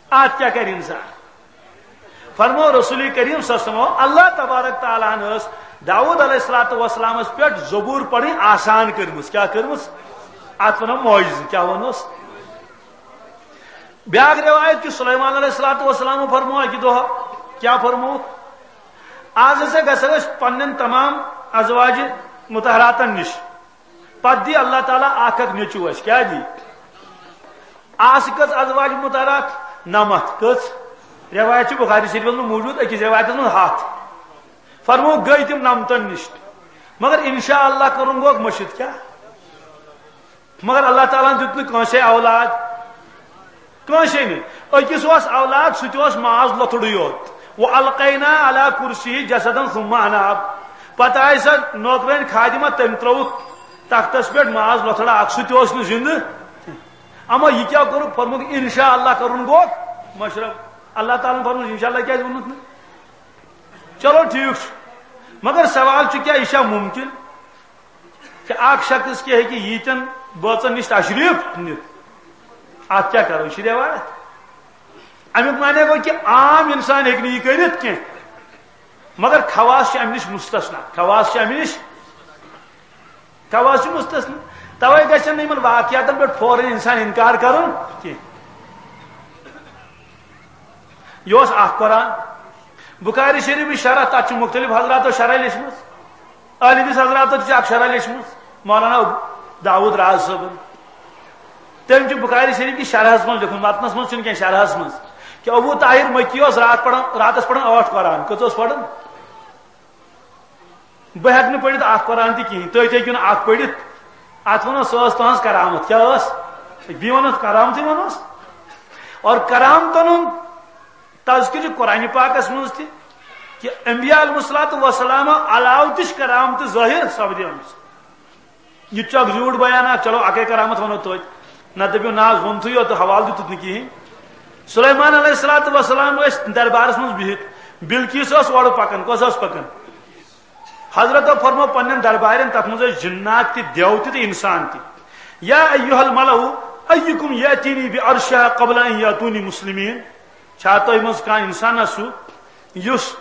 اتھ کیٛاہ کرِ انسان؟ فرمو رسول کریم صلی اللہ علیہ وسلم، اللہ تبارک تعالیٰ ہن ٲس داؤد علیہ الصلوۃ والسلامس پٮ۪ٹھ زبور پرٕنۍ آسان کٔرمٕژ۔ کیٛاہ کٔرمٕژ؟ اتھ ونو معجزٕ۔ کیٛاہ ونوس؟ بیاکھ روایت کہ سلیمان علیہ الصلوۃ والسلام فرمو اکہِ دۄہ، کیٛاہ فرمو؟ آز ہسا گژھو أسۍ پننٮ۪ن تمام ازواج مطہراتن نِش، پتہٕ دی اللہ تعالیٰ اکھ اکھ نیٚچو اَسہِ۔ کیٛاہ دی؟ آسہٕ کٔژ ازواج مطہرات؟ نَمَتھ۔ کٔژ؟ روایت چھِ بخاری شریفس منٛز موجود، أکِس روایتس منٛز ہَتھ۔ فرمو گٔے تِم نَمتن نِش۔ مگر انشاء اللہ کرُن گوٚو مٔشِتھ۔ کیٛاہ؟ مگر اللہ تعالیٰ ہن دیُت نہٕ کٲنٛسے اولاد، کٲنٛسے نہٕ۔ أکِس اوس اولاد، سُہ تہِ اوس ماز لۄتھُڑٕے یوت۔ وَأَلْقَيْنَا عَلَى كُرْسِيِّهِ جَسَدًا ثُمَّ أَنَابَ۔ پتہٕ آیہِ سۄ نوکرٲنۍ خادمہ، تٔمۍ ترٲوٕکھ تختس پٮ۪ٹھ ماز لۄتھڑا اکھ، سُہ تہِ اوس نہٕ زندٕ۔ اما یہِ کیٛاہ کوٚرُکھ؟ فرمووُکھ، انشاء اللہ کرُن گوٚو مشرف۔ اللہ تعالیٰ ہن فرمووُکھ، انشاء اللہ کیٛازِ ووٚنُتھ نہٕ؟ چلو ٹھیک چھُ، مگر سوال چھُ، کیٛاہ یہِ چھا ممکن؟ کہ اکھ شخص کیٛاہ ہیٚکہِ ییٖتٮ۪ن بٲژن نِش تشریف نِتھ؟ اتھ کیٛاہ کرو؟ یہِ چھِ رٮ۪وایت۔ امیُک معنی گوٚو کہ عام انسان ہیٚکہِ نہٕ یہِ کٔرِتھ کینٛہہ، مگر خواص چھِ امہِ نِش مستثنا، خواص چھِ امہِ نِش، خواص چھِ مستثنا۔ توے گژھن نہٕ یِمن واقعاتن پٮ۪ٹھ فوراً انسان انکار کرُن کینٛہہ۔ یہِ اوس اکھ قرآن۔ بخاری شریفٕچ شرح، تتھ چھِ مختلف حضراتو شرح لیچھمٕژ۔ اہل حدیث حضراتو تہِ چھِ اکھ شرح لیچھمٕژ، مولانا داؤد راز صٲبن۔ تٔمۍ چھُ بخاری شریف کِس شرحس منٛز لیوٚکھمُت، متنس منٛز چھُنہٕ کینٛہہ، شرحس منٛز، کہ ابو طاہر مکی اوس راتھ پران، راتس پران ٲٹھ قرآن۔ کٔژ اوس پران؟ بہٕ ہیٚکہٕ نہٕ پٔرِتھ اکھ قرآن تہِ کِہیٖنۍ، تُہۍ تہِ ہیٚکِو نہٕ اکھ پٔرِتھ۔ اتھ ونو، سۄ ٲس تُہنٛز کرامت۔ کیٛاہ ٲس؟ بیٚیہِ ونو کرامتٕے ونوس۔ اور کرامتن ہُنٛد تذکرٕ چھُ قرآن پاکس منٛز تہِ کہِ انبیاء علیہ الصلوۃ والسلام علاوٕ تہِ چھِ کرامتہٕ ظٲہِر سپدیمٕژ۔ یہِ تہِ چھُ اکھ زیوٗٹھ بیان اکھ، چلو اکے کرامت ونو توتہِ، نہ دٔپِو نہ حظ ووٚنتھٕے یوت تہٕ حوالہٕ دیُتُتھ نہٕ کِہیٖنۍ۔ سلیمان علیہ الصلوۃ والسلام ٲسۍ دربارس منٛز بِہِتھ، بلقیس ٲس اورٕ پکان، کۄس ٲس پکان؟ حضرتو فرمو پننٮ۪ن دربارٮ۪ن، تتھ منٛز ٲسۍ جنات تہِ، دیو تہِ تہٕ انسان تہِ۔ یا ایھا الملأ ایکم یأتینی بعرشہا قبل ان یأتونی مسلمین۔ چھا تۄہہِ منٛز کانٛہہ انسانا سُہ یُس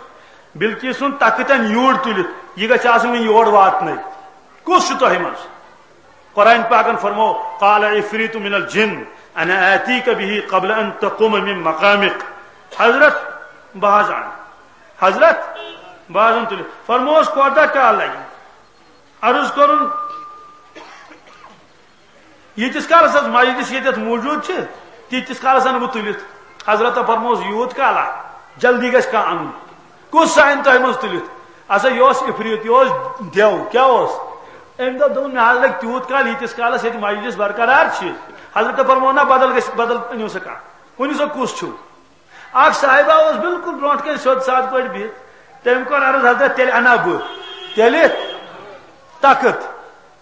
بلقیس سُنٛد تختن یوٗرۍ تُلِتھ یہِ گژھِ آسُن وۄنۍ یور واتنَے؟ کُس چھُ تۄہہِ منٛز؟ قرآن پاکن فرمو، قال عفریت من الجن انا آتیک به قبل ان تقوم من مقامک۔ حضرت، بہٕ حظ انہٕ۔ حضرت، بہٕ حظ انہٕ تُلِتھ۔ فرموس، کوتاہ کال لگہِ؟ عرض کوٚرُن، ییٖتِس کالس حظ مجلس ییٚتٮ۪تھ موٗجوٗد چھِ، تیٖتِس کالس انہٕ بہٕ تُلِتھ۔ حضرت فرموس، یوٗت کالا؟ جلدی گژھِ کانٛہہ انُن۔ کُس سا انہِ تۄہہِ منٛز تُلِتھ؟ ہسا یہِ اوس عفریت، یہِ اوس دیو۔ کیٛاہ اوس؟ أمۍ دوٚپ، دوٚپُن، مےٚ حظ لگہِ تیوٗت کال، ییٖتِس کالس ییٚتہِ مجلس برقرار چھِ۔ حضرت فرموو، نہ، بدل گژھِ، بدل أنِو سا کانٛہہ۔ ؤنِو سا کُس چھُو؟ اکھ صاحبہ اوس بالکل برونٛٹھ کنہِ سیوٚد سادٕ پٲٹھۍ بِہِتھ۔ تٔمۍ کوٚر عرض، حضرت، تیٚلہِ اَنہٕ ہا بہٕ۔ تیٚلہِ تخت۔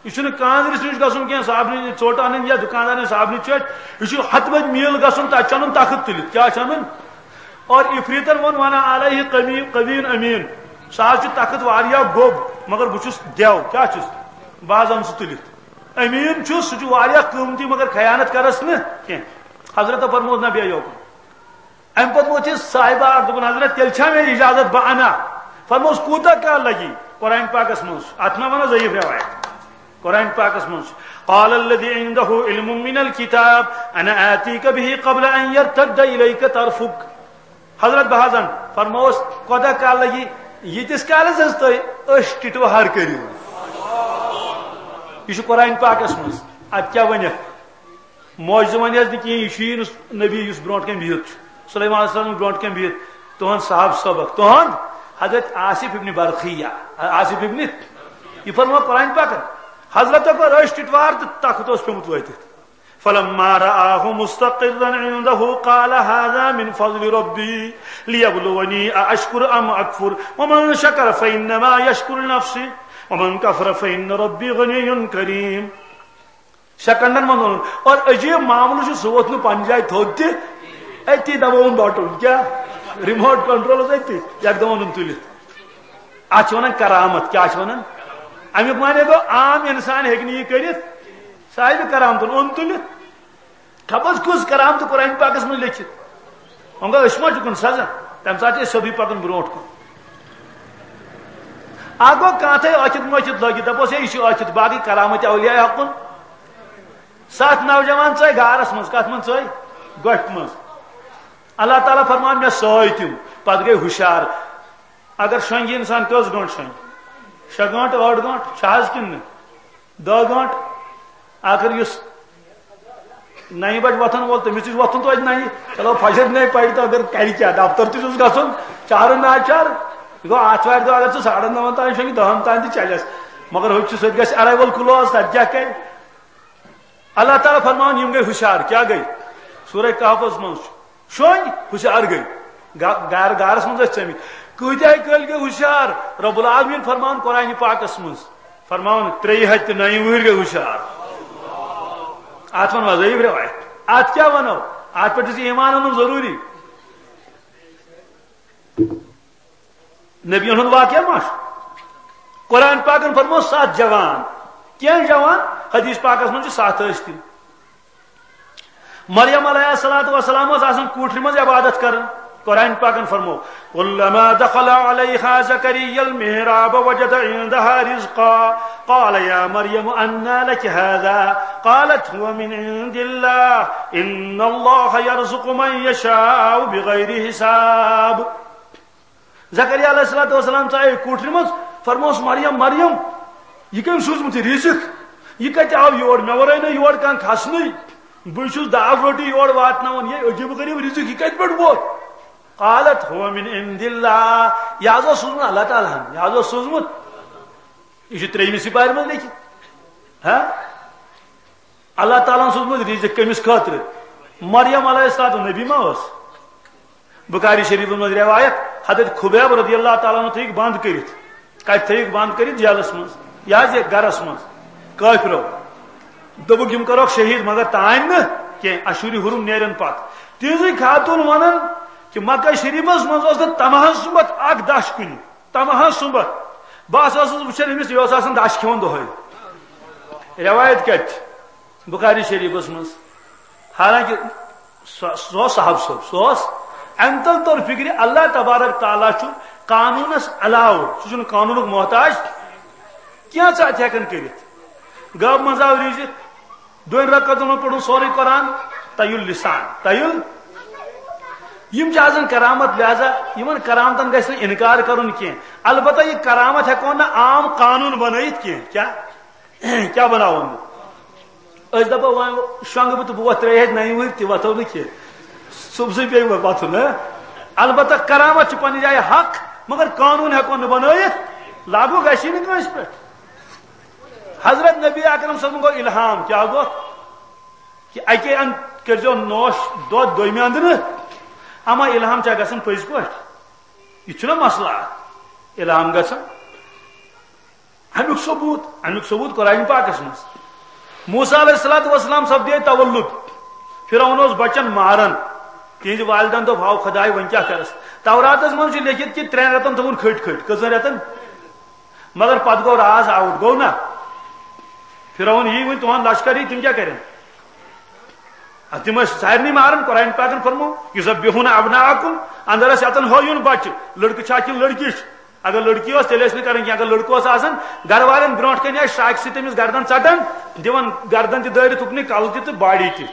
یہِ چھُنہٕ کانٛدرِس نِش گژھُن کینٛہہ، صابنہِ ژوٚٹ اَنٕنۍ یا دُکاندارَن صابنہِ ژوٚٹ۔ یہِ چھُ ہَتہٕ بٔدۍ میٖل گژھُن، تَتہِ چھُ اَنُن تخت تُلِتھ۔ کیٛاہ چھُ اَنُن؟ اور عفریتن ووٚن، وانا علیہ قوی، قوی امین۔ سُہ حظ چھُ تخت واریاہ گوٚب، مگر بہٕ چھُس دیو۔ کیٛاہ چھُس؟ بہٕ حظ اَنہٕ سُہ تُلِتھ۔ امین چھُ، سُہ چھُ واریاہ قۭمتی، مگر خیانت کرس نہٕ کینٛہہ۔ حضرت فرموس، نہ، بیٚہہ یوکُن۔ امہِ پتہٕ ووٚتھ یہِ صاحبہ اکھ، دوٚپُن، حضرت، تیٚلہِ چھا مےٚ اجازت بہٕ انہٕ ہا؟ فرموس، کوٗتاہ کال لگی؟ قرآن پاکس منٛز چھُ، اتھ ما ونو ضعیف روایت؟ قرآن پاکس منٛز چھُ، قال الذي عنده علم من الكتاب انا آتيك به قبل ان يرتد اليك طرفك۔ حضرت بہٕ حظ انہٕ۔ فرموس، کوٗتاہ کال لگی؟ ییٖتِس کالس حظ تُہۍ أچھ ٹِٹوہر کٔرِو۔ یہِ چھُ قرآن پاکس منٛز۔ اتھ کیٛاہ ونکھ؟ معجزٕ ونہِ حظ نہٕ کِہیٖنۍ، یہِ چھُ یی نہٕ نبی یُس برونٛٹھ کنہِ بِہِتھ چھُ۔ سلیمان علیہ السلام برونٛٹھ کنہِ بِہِتھ، تُہُنٛد صاحب سبق، تُہُنٛد حضرت آصف ابن برخیہ، آصف ابن، یہِ فرموو قرآن پاکن۔ حضرت کوٚر أچھ ٹِٹوار تہٕ تخت اوس پیوٚمُت وٲتِتھ۔ فلما رآه مستقرا عنده قال هذا من فضل ربي ليبلوني أأشكر أم أكفر ومن شكر فإنما يشكر لنفسه ومن كفر فإن ربي غني كريم۔ سیکنڈن منٛز اوٚنُن۔ اور عجیب معاملہٕ چھُ، سُہ ووت نہٕ پننہِ جایہِ تھوٚد تہِ، أتی دبووُن بٹن، کیٛاہ؟ ریموٹ کنٹرول اوس أتی، یکدم اوٚنُن تُلِتھ۔ اتھ چھِ ونان کرامت۔ کیٛاہ چھِ ونان؟ امیُک معنی گوٚو، عام انسان ہیٚکہِ نہٕ یہِ کٔرِتھ، صاحب کرامتن اوٚن تُلِتھ۔ خبر کُس کرامت قرآن پاکس منٛز لیکھِتھ۔ وۄنۍ گوٚو، أسۍ ما چھُکھ کُن سزا؟ تمہِ ساتہٕ چھِ أسۍ سیوٚدُے پکان برونٛٹھ کُن۔ اکھ گوٚو کانٛہہ تھایہِ ٲکھِتھ مٲکھِتھ لٲگِتھ، دپوس، ہے، یہِ چھُ ٲکھِتھ، باقٕے کرامت اولیاء حقن۔ ستھ نوجوان ژاے غارس منٛز، کتھ منٛز ژاے؟ گۄپھِ منٛز۔ اللہ تعالیٰ فرمان، مےٚ سٲے تِم، پتہٕ گٔے ہُشار۔ اگر شۄنٛگہِ انسان، کٔژ گٲنٛٹہٕ شۄنٛگہِ؟ شےٚ گٲنٛٹہٕ، ٲٹھ گٲنٛٹہٕ چھِ حظ کِنہٕ نہٕ؟ دَہ گٲنٛٹہٕ۔ آخر یُس نَیہِ بجہِ وۄتھن وول، تٔمِس تہِ چھُ وۄتھُن توتہِ نَیہِ۔ چلو، فجر نَے پَرِ تہٕ اگر کَرِ کیٛاہ؟ دفتر تہِ چھُس گژھُن، چارٕ ناچار۔ یہِ گوٚو آتھوارِ دۄہ اگر ژٕ ساڑن نَون تام شۄنٛگہِ، دَہن تام تہِ چَلٮ۪س۔ مگر ہُتہِ چھُ، سُہ تہِ گژھِ arrival close، تَتہِ کیٛاہ کَرِ؟ اللہ تعالیٰ فرماوان، یِم گٔے ہُشار۔ کیٛاہ گٔے؟ سورہ کہفس منٛز چھُ۔ شۄنٛگۍ، ہُشار گٔے۔ گا-، گار-، گارس منٛز ٲسۍ ژٔمٕتۍ۔ کۭتیاہ کٲلۍ گٔے ہُشار؟ رب العالمین فرمان قرآن پاکس منٛز، فرماوان، ترٛیٚیہِ ہتہِ تہٕ نَیہِ وُہٕرۍ گٔے ہُشار۔ اتھ ونو ضعیف روایت۔ اتھ کیٛاہ ونو؟ اتھ پٮ۪ٹھ چھُ ایمان انُن ضروٗری۔ نبی ہُنٛد واقعہ ما چھُ؟ قرآن پاکن فرموو ستھ جوان۔ کینٛہہ جوان؟ حدیث پاکس منٛز چھِ ستھ ٲسۍ تِم۔ مریم علیہ الصلوۃ والسلام ٲس آسان کوٹھرِ منٛز عبادت کران۔ قرآن پاکن فرموو، كلما دخل عليها زكريا المحراب وجد عندها رزقا قال يا مريم أنى لك هذا قالت هو من عند الله إن الله يرزق من يشاء بغير حساب۔ زکریا علیہ الصلوۃ والسلام ژایے کوٹھرِ منٛز، فرموس، مریم، مریم، یہِ کٔمۍ سوٗزمُت یہِ رِزق؟ یہِ کتہِ آو یور؟ مےٚ ورٲے نہٕ یور کانٛہہ کھسنٕے۔ بہٕ چھُس دال روٹی یور واتناوان، یہِ عجیٖب غریٖب رِزق، یہِ کتہِ پٮ۪ٹھ ووت؟ قالت هو من عند الله، یہِ حظ اوس سوٗزمُت اللہ تعالیٰ ہن، یہِ حظ اوس سوٗزمُت۔ یہِ چھُ ترٛیٚیمہِ سپارِ منٛز لیکھِتھ۔ ہا؟ اللہ تعالیٰ ہن سوٗزمُت رِزق کٔمِس خٲطرٕ؟ مریم علیہ السلام نبی ما ٲس؟ بخاری شریفس منٛز روایت، حضرت خبیب رضی اللہ تعالیٰ عنہ تھٲوِکھ بند کٔرِتھ۔ کتہِ تھٲوِکھ بند کٔرِتھ؟ جیلس منٛز، یہِ حظ یہِ گرس منٛز۔ کٲفرو دوٚپُکھ، یِم کرہوکھ شہید، مگر تانۍ نہٕ کینٛہہ، اشہُرِ حرم نیرن پتہٕ۔ تِہنٛزٕے خاتون ونان کہِ مکہ شریفس منٛز اوس نہٕ تمہن سُمبتھ اکھ دچھ کُنہِ، تمہن سُمبتھ۔ بہٕ ہسا ٲسٕس وٕچھان أمِس، یہِ اوس آسان دچھ کھٮ۪وان دۄہے۔ روایت کتہِ چھِ؟ بخاری شریفس منٛز۔ حالانکہ سُہ سُہ اوس صاحب صٲب، سُہ اوس۔ امہِ تل توٚر فکرِ، اللہ تبارک تعالیٰ چھُ قانوٗنس علاوٕ، سُہ چھُنہٕ قانوٗنُک محتاج کینٛہہ، ژٕ اتہِ ہٮ۪کان کٔرِتھ۔ گٲو منٛز آو رِزق، دۄن رکعتن منٛز پوٚرُن سورُے قرآن، تیُل لسان، تیُل۔ یِم چھِ آسان کرامت، لہذا یِمن کرامتن گژھِ نہٕ انکار کرُن کینٛہہ۔ البتہ یہِ کرامت ہٮ۪کو نہٕ عام قانوٗن بنٲیِتھ کینٛہہ۔ کیٛاہ؟ کیٛاہ بناوو نہٕ؟ أسۍ دپو وۄنۍ شۄنٛگہٕ بہٕ تہٕ بہٕ وۄتھٕ ترٛیٚیہِ ہَتہِ نَیہِ وٕہٕرۍ، تہِ وۄتھو نہٕ کینٛہہ۔ صُبحسٕے پیٚیہِ وۄنۍ وۄتھُن، ہہ؟ البتہ کرامت چھِ پننہِ جایہِ حق، مگر قانوٗن ہٮ۪کو نہٕ بنٲیِتھ، لاگوٗ گژھی نہٕ کٲنٛسہِ پٮ۪ٹھ۔ حضرت نبی اکرم صٲبن گوٚو الہام، کیٛاہ گوٚو؟ کہِ اَکے اَنٛد کٔرۍزیو نوش دۄد، دوٚیمہِ اَنٛدٕ نہٕ۔ اما الہام چھا گژھان پٔزۍ پٲٹھۍ؟ یہِ چھُنہ مسلہٕ اکھ، الہام گژھان۔ امیُک ثبوت، امیُک ثبوت قرآن پاکس منٛز۔ موسیٰ علیہ الصلوۃ والسلام سپدے تولد، فرعون اوس بچن ماران، تِہنٛدِ والدن دوٚپ، ہاو خداے، وۄنۍ کیٛاہ کرس؟ توراتس منٛز چھُ لیکھِتھ کہِ ترٛٮ۪ن رٮ۪تن تھٲوُن کھٔٹۍ کھٔٹۍ۔ کٔژن رٮ۪تن؟ مگر پتہٕ گوٚو راز آوُٹ، گوٚو نا؟ فرعون یی وۄنۍ تُہنٛد لشکر یی، تِم کیٛاہ کرن؟ اَدٕ تِم ٲسۍ سارنٕے ماران۔ قرآن پاکن فرموو، یُذبحون ابناءکم، اندر ٲسۍ اَتن ہٲیُن بچہِ، لڑکہٕ چھا کِنہٕ لڑکی چھِ؟ اگر لڑکی ٲس، تیٚلہِ ٲسۍ نہٕ کران کینٛہہ۔ اگر لڑکہٕ اوس آسان، گرٕ والٮ۪ن برونٛٹھ کنہِ آسہِ شراکہِ سۭتۍ تٔمِس گردن ژٹان، دِوان گردن تہِ دٲرِتھ اُکنُے، کلہٕ تہِ تہٕ باڈی تہِ۔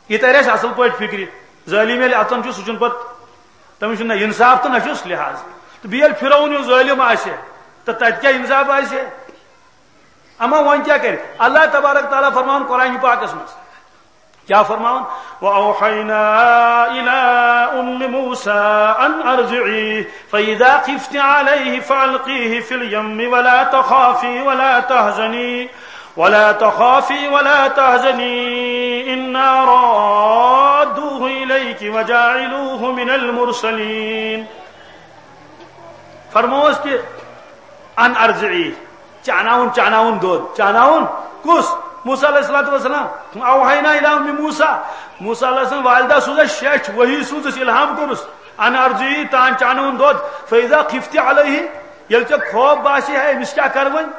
یہِ ترِ اَسہِ اصل پٲٹھۍ فکرِ۔ ظٲلِم ییٚلہِ اَژان چھُ، سُہ چھُنہٕ پتہٕ، تٔمِس چھُنہٕ نہ انصاف تہٕ نہ چھُس لحاظ۔ تہٕ بیٚیہِ ییٚلہِ فرعون ہیوٗ ظٲلِم آسہِ، تہٕ تتہِ کیٛاہ انصاف آسہِ؟ اما وۄنۍ کیٛاہ کرِ؟ اللہ تبارک تعالیٰ فرماوان قرآن پاکس منٛز، کیٛاہ فرماوان؟ وأوحينا إلى أم موسى أن أرضعيه فإذا خفت عليه فألقيه في اليم ولا تخافي ولا تحزني ولا تخافي ولا تحزني إنا رادوه إليك وجاعلوه من المرسلين۔ فرمووس کہ ان ارضعی، چاناوُن، چاناوُن دۄد، چاناوُن۔ کُس؟ موسیٰ علیہ الصلوۃ والسلام۔ اوحینا الی ام موسیٰ، موسیٰ علیہ السلام والدہ سوز اَسہِ شیچھ، وحی سوز اَسہِ، الہام کوٚرُس، ان ارضعی، تان چاناوُن دۄد۔ فاذا خفت علیہ، ییٚلہِ ژےٚ خوف باسہِ ہے أمِس کیٛاہ کرٕ وۄنۍ،